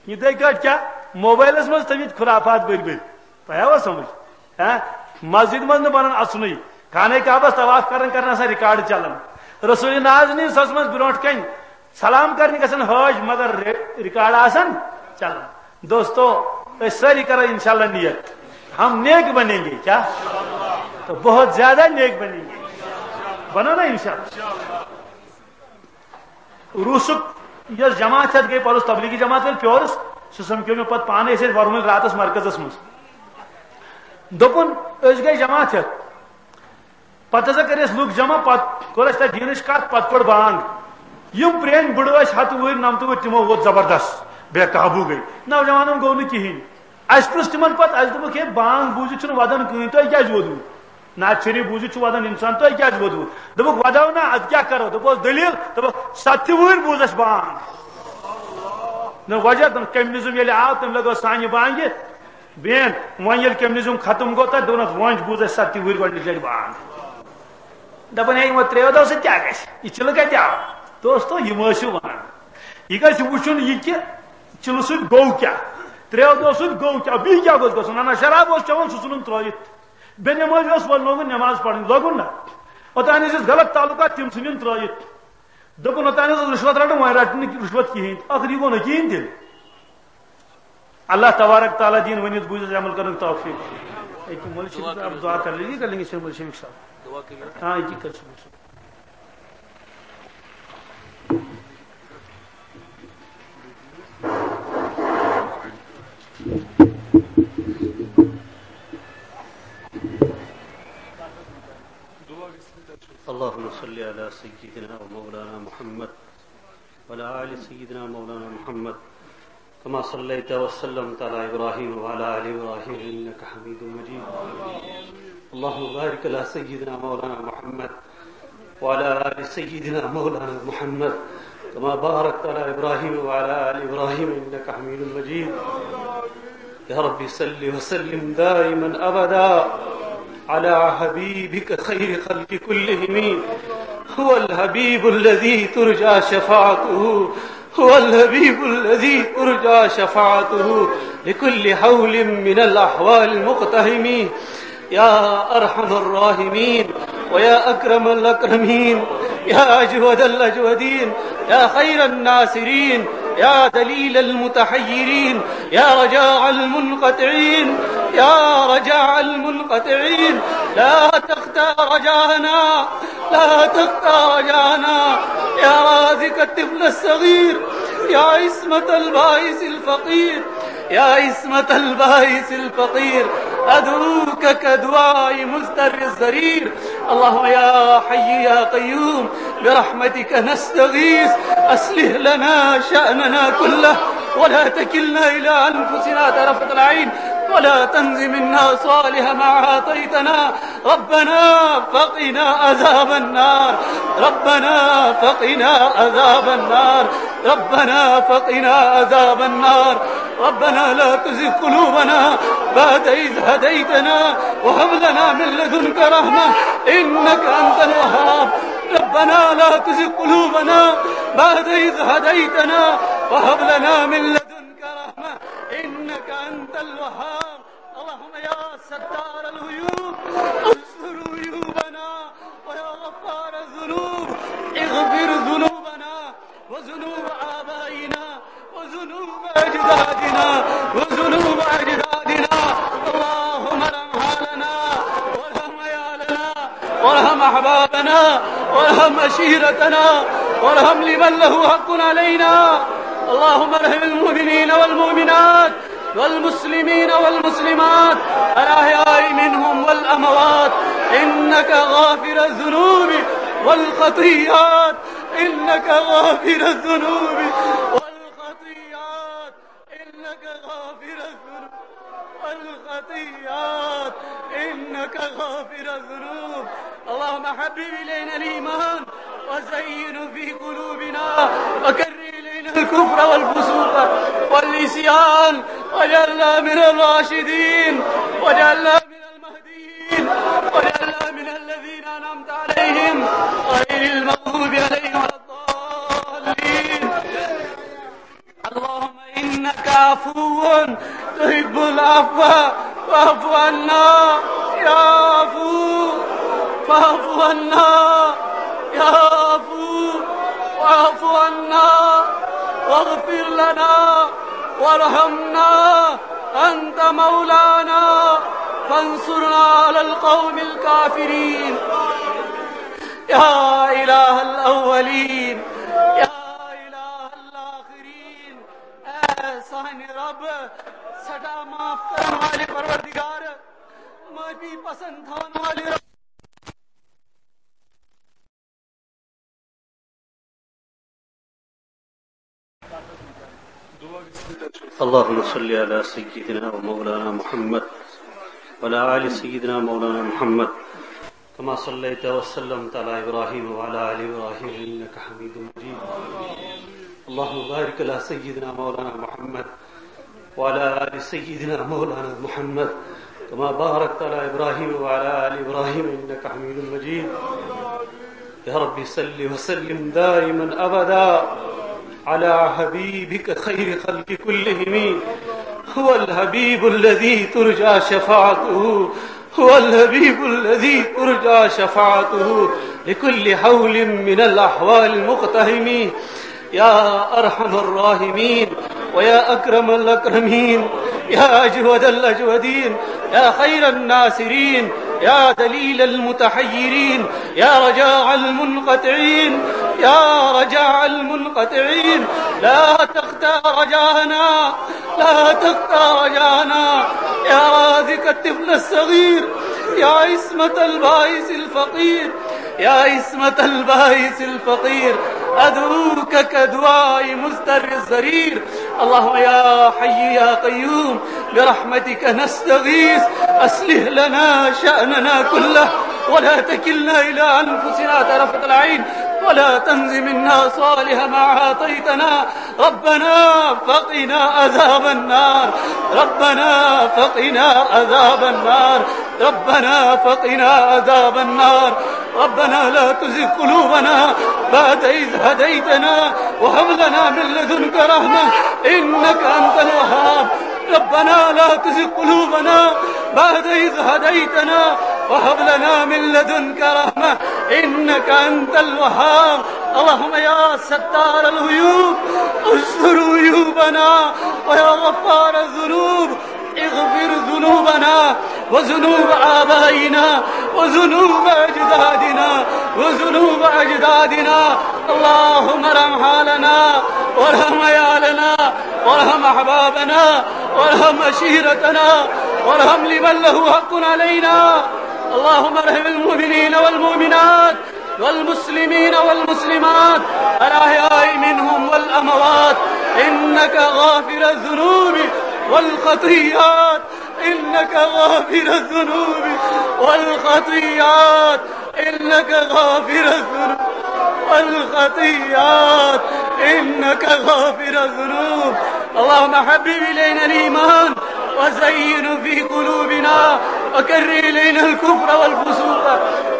یِتھے کٲٹھۍ کیٛاہ؟ موبایلس منٛز تھٲومٕتۍ خرافات بٔرۍ بٔرۍ۔ تۄہہِ آوا سمجھ؟ ہا؟ مسجد منٛز نہٕ بنان اژنُے، خانہ کعبس طواف کران کران آسان ریکارڈ چلان۔ رسول ناز نی سس منٛز برونٛٹھ کنہِ سلام کرنہِ گژھان حٲج، مگر ری-، ریکارڈ آسان چلان۔ دوستو، أسۍ سٲری کرو انشاءاللہ نیت، ہم نیک بنیں گے، کیا؟ تو بہت زیادہ نیک بنیں گے، بنو نا انشاءاللہ۔ روسک یۄس جماعت ہٮ۪تھ گٔے پرُس تبلیغی جماعت وٲلۍ پیورس، سُہ سمکھیو مےٚ پتہٕ پانے، أسۍ ٲسۍ ورمُلۍ راتس مرکزس منٛز۔ دوٚپُن، أسۍ گٔے جماعت ہٮ۪تھ، پتہٕ ہسا کٔرۍ اَسہِ لُکھ جمع، پتہٕ کوٚر اَسہِ تتہِ دیٖنٕچ کتھ، پتہٕ پٔر بانگ۔ یِم پرٛٲنۍ بُڈٕ ٲسۍ، ہتہٕ وُہٕرۍ نمتہٕ وُہٕرۍ، تِمو ووت زبردست، بے قابو گٔے۔ نوجوانن گوٚو نہٕ کِہینۍ۔ اَسہِ پرُژھ تِمن پتہٕ، اَسہِ دوٚپُکھ، "ہے، بانگ بوٗزِتھ چھُنہٕ ودان کٕہٕنۍ، تۄہہِ کیازِ ووٚدوٕ؟ نعت شریف بوٗزِتھ چھُ ودان انسان، تۄہہِ کیازِ ووٚدوٕ؟" دوٚپُکھ، "ودو نا، ادٕ کیاہ کرو؟" دوٚپُکھ، "دٔلیٖل؟" دوٚپُکھ، "ستہِ وُہٕرۍ بوٗز اَسہِ بانگ۔" نہ وجہ، دوٚپُن، کمیونزم ییٚلہِ آو، تٔمۍ لگٲو سانہِ بانگہِ بین۔ وۄنۍ ییٚلہِ کمیونزم ختم گوٚو، تتہِ دوٚپنس، "وۄنۍ بوٗز اَسہِ ستہِ وُہٕرۍ گۄڈٕنِچ لٹہِ بانگ۔" دپان، "ہے، یِمو ترٛیو دۄہو سۭتۍ کیٛاہ گژھِ؟ یہِ چِلہٕ کتہِ آو؟" دوستو، یِم ٲسِو ونان، یہِ گژھِ وٕچھُن یہِ کہِ چِلہٕ سۭتۍ گوٚو کیٛاہ، ترٛیو دۄہو سۭتۍ گوٚو کیٛاہ، بیٚیہِ کیٛاہ گوٚژھ گژھُن؟ انا شراب اوس چٮ۪وان، سُہ ژھُنُن ترٲوِتھ، بے نمٲزی اوس، وۄنۍ لوگُن نٮ۪ماز پرٕنۍ، لوگُن نہ؟ اوٚتام ٲسِس غلط تعلقات، تِم ژھٕنِن ترٲوِتھ۔ دوٚپُن، اوٚتام اوس رُشوت رٹان، وۄنۍ رٹہِ نہٕ رُشوت کِہیٖنۍ تہٕ۔ ٲخٕر یہِ گوٚو نہٕ کِہیٖنۍ تیٚلہِ۔ اللہ تبارک تعالیٰ دِیِن ؤنِتھ بوٗزِتھ عمل کرنُک توفیق۔ أکہِ مولوی شریف دعا کر لیجیے، کر لیں گے شیخ مولوی شریف صاحب۔ ہاں، أکہِ کر شروع۔ اللهم صل على سيدنا ومولانا محمد وعلى آل سيدنا مولانا محمد كما صليت وسلمت على إبراهيم وعلى آل إبراهيم إنك حميد مجيد. اللهم بارك على سيدنا مولانا محمد وعلى آل سيدنا مولانا محمد كما باركت على إبراهيم وعلى آل إبراهيم إنك حميد مجيد. يا رب صل وسلم دائما أبدا على حبيبك خير خلق كلهم. هو الحبيب الذي ترجى شفاعته، هو الحبيب الذي ترجى شفاعته لكل حول من الأحوال مقتحم. يا أرحم الراحمين، ويا أكرم الأكرمين، يا أجود الأجودين، يا خير الناصرين، يا دليل المتحيرين، يا رجاء المنقطعين، يا رجاء المنقطعين، لا تقطع رجاءنا، لا تقطع رجاءنا، يا رازق الطفل الصغير، يا عصمة البائس الفقير، يا عصمة البائس الفقير، أدعوك كدعاء مضطر الضرير. اللهم يا حي يا قيوم، برحمتك نستغيث، أصلح لنا شأننا كله، ولا تكلنا إلى أنفسنا طرفة عين، ولا تنز منا صالح ما أعطيتنا، ربنا فقنا عذاب النار، ربنا فقنا عذاب النار، ربنا فقنا عذاب النار. ربنا لا تزغ قلوبنا بعد إذ هديتنا وهب لنا من لدنك رحمة إنك أنت الوهاب. ربنا لا تزغ قلوبنا بعد إذ هديتنا وهب لنا من لدنك رحمة إنك أنت الوهاب. اللهم يا ستار العيوب استر عيوبنا، ويا غفار الذنوب اغفر ذنوبنا وذنوب آبائنا وذنوب أجدادنا وذنوب أجدادنا. اللهم ارحم حالنا وارحم عيالنا وارحم أحبابنا وارحم عشيرتنا وارحم لمن له حق علينا. اللهم ارحم المؤمنين والمؤمنات والمسلمين والمسلمات الأحياء منهم والأموات، إنك غافر الذنوب والخطيئات، إنك غافر الذنوب والخطيئات، إنك غافر الذنوب والخطيئات، إنك غافر الذنوب. اللهم حبب إلينا الإيمان وزينه في قلوبنا وكره إلينا الكفر والفسوق والعصيان، واجعلنا من الراشدين، واجعلنا من المهديين، واجعلنا من الذين أنعمت عليهم غير المغضوب عليهم ولا الضالين. اللهم إنك عفو تحب العفو فاعف عنا يا عفو، فاعف عنا يا عفو، واعف عنا واغفر لنا وارحمنا، أنت مولانا فانصرنا على القوم الكافرين. يا إله الأولين، يا إله الآخرين. اے سانہِ رب، سدا معاف کرن والے پروردگار، معافی پسند تھاون والے رب۔ اللهم صل على سيدنا ومولانا محمد وعلى آل سيدنا مولانا محمد كما صليت وسلمت على إبراهيم وعلى آل إبراهيم إنك حميد مجيد. اللهم بارك على سيدنا مولانا محمد وعلى آل سيدنا مولانا محمد كما باركت على إبراهيم وعلى آل إبراهيم إنك حميد مجيد. يا رب صل وسلم دائما أبدا على حبيبك خير خلق كلهم. هو الحبيب الذي ترجى شفاعته، هو الحبيب الذي ترجى شفاعته لكل حول من الأحوال مقتحم. يا أرحم الراحمين ويا أكرم الأكرمين، يا أجود الأجودين، يا خير الناصرين، يا دليل المتحيرين، يا رجاء المنقطعين، يا رجاء المنقطعين، لا تقطع رجاءنا، لا تقطع رجاءنا، يا رازق الطفل الصغير، يا عصمة البائس الفقير، يا عصمة البائس الفقير، أدعوك كدعاء مضطر الضرير. اللهم يا حي يا قيوم، برحمتك نستغيث، أصلح لنا شأننا كله، ولا تكلنا إلى أنفسنا طرفة العين، ولا تنز منا صالح ما أعطيتنا، ربنا فقنا عذاب النار، ربنا فقنا عذاب النار، ربنا فقنا عذاب النار. ربنا لا تزغ قلوبنا بعد إذ هديتنا وهب لنا من لدنك رحمة إنك أنت الوهاب. ربنا لا تزغ قلوبنا بعد إذ هديتنا وهب لنا من لدنك رحمة إنك أنت الوهاب. اللهم يا ستار العيوب، استر عيوبنا، ويا غفار الذنوب، اغفر ذنوبنا وذنوب آبائنا وذنوب أجدادنا وذنوب أجدادنا. اللهم ارحم حالنا وارحم عيالنا وارحم أحبابنا وارحم عشيرتنا وارحم لمن له حق علينا. اللهم ارحم المؤمنين والمؤمنات والمسلمين والمسلمات الأحياء منهم والأموات، إنك غافر الذنوب والخطيئات، إنك غافر الذنوب والخطيئات، إنك غافر الذنوب والخطيئات، إنك غافر الذنوب. اللهم حبب إلينا الإيمان وزينه في قلوبنا وكره إلينا الكفر والفسوق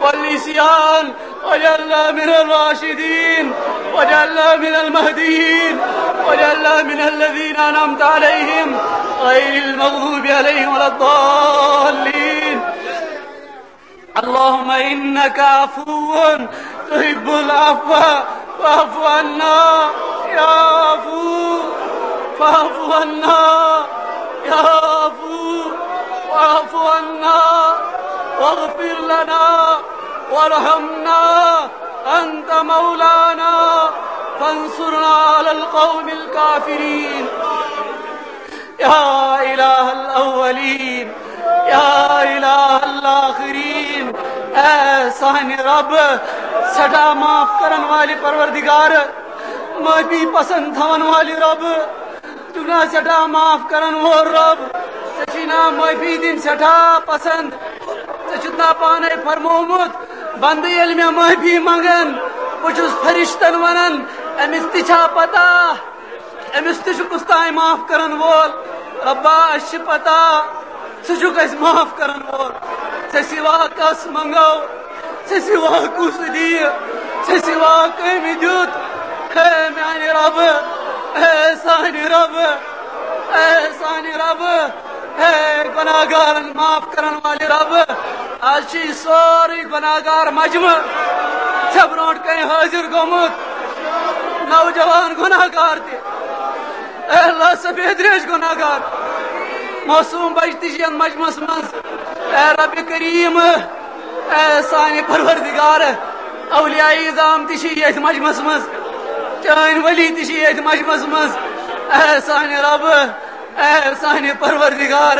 والعصيان واجعلنا من الراشدين، واجعلنا من المهديين، واجعلنا من الذين أنعمت عليهم غير المغضوب عليهم ولا الضالين. اللهم إنك عفو تحب العفو فاعف عنا يا عفو، فاعف عنا يا عفو، واعف عنا واغفر لنا وارحمنا، أنت مولانا فانصرنا على القوم الكافرين. یا الہ الاولین، یا الہ الاخرین، اے سانہِ رب، سٮ۪ٹھاہ معاف کرن والہِ پروردگار، معافی پسند تھاون والہِ رب، ژٕ چھُکھ نا سٮ۪ٹھاہ معاف کرن وول رب، ژےٚ چھُے نا معافی دِنۍ سٮ۪ٹھاہ پسند، ژےٚ چھُتھ نا پانے فرمومُت، بندٕ ییٚلہِ مےٚ معافی منگن، بہٕ چھُس فرشتن ونان، أمِس تہِ چھا پتہ؟ أمِس تہِ چھُ کُس تام معاف کرن وول۔ ربا، اَسہِ چھِ پتہ، ژٕ چھُکھ اَسہِ معاف کرن وول۔ ژےٚ سوا کس منگو؟ ژےٚ سوا کُس دِیہِ؟ ژےٚ سوا کٔمۍ دیُت؟ اے میانہِ رب، اے سانہِ رب، اے سانہِ رب، اے گناہگارن معاف کرن والہِ رب، از چھُ یہِ سورُے گناہگار مجمع ژےٚ برونٛٹھ کنہِ حٲضِر گوٚمُت۔ نوجوان گناہگار تہِ۔ اے اللہ، سفید ریش گناہگار۔ معصوم بچہِ تہِ چھِ یتھ مجمعس منٛز۔ اے رب کریم، اے سانہِ پروردگار، اولیاء عظام تہِ چھِ یتھ مجمعس منٛز۔ چٲنۍ ولی تہِ چھِ یتھ مجمعس منٛز۔ اے سانہِ رب، اے سانہِ پروردگار،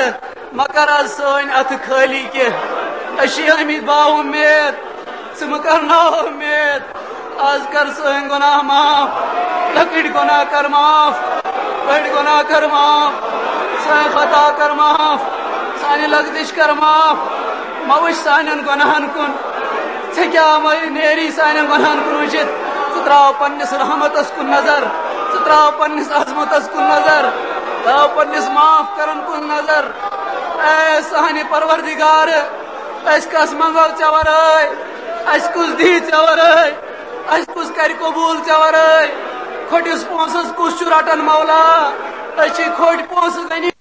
مہ کر از سٲنۍ اتھٕ خٲلی کینٛہہ۔ أسۍ چھِ آمٕتۍ باوُمید، ژٕ مہ کرناو اُمید۔ از کر سٲنۍ گۄناہ معاف، لۄکٕٹۍ گۄناہ کر معاف، بٔڑۍ گۄناہ کر معاف، سٲنۍ خطا کر معاف، سانہِ لغزش کر معاف۔ مہ وٕچھ سانٮ۪ن گۄناہن کُن۔ ژےٚ کیٛاہ مہ نیری سانٮ۪ن گۄناہن کُن وٕچھِتھ؟ ژٕ ترٛاو پننِس رحمتس کُن نظر، ژٕ ترٛاو پننِس عظمتس کُن نظر، ترٛاو پننِس معاف کرن کُن نظر۔ اے سانہِ پروردگار، أسۍ کس منگو ژےٚ ورٲے؟ اَسہِ کُس دی ژےٚ ورٲے؟ اَسہِ کُس کرِ قبوٗل ژےٚ ورٲے؟ کھوٚٹِس پونٛسس کُس چھُ رٹان مولا؟ أسۍ چھِ کھوٚٹۍ پونٛسہٕ غنی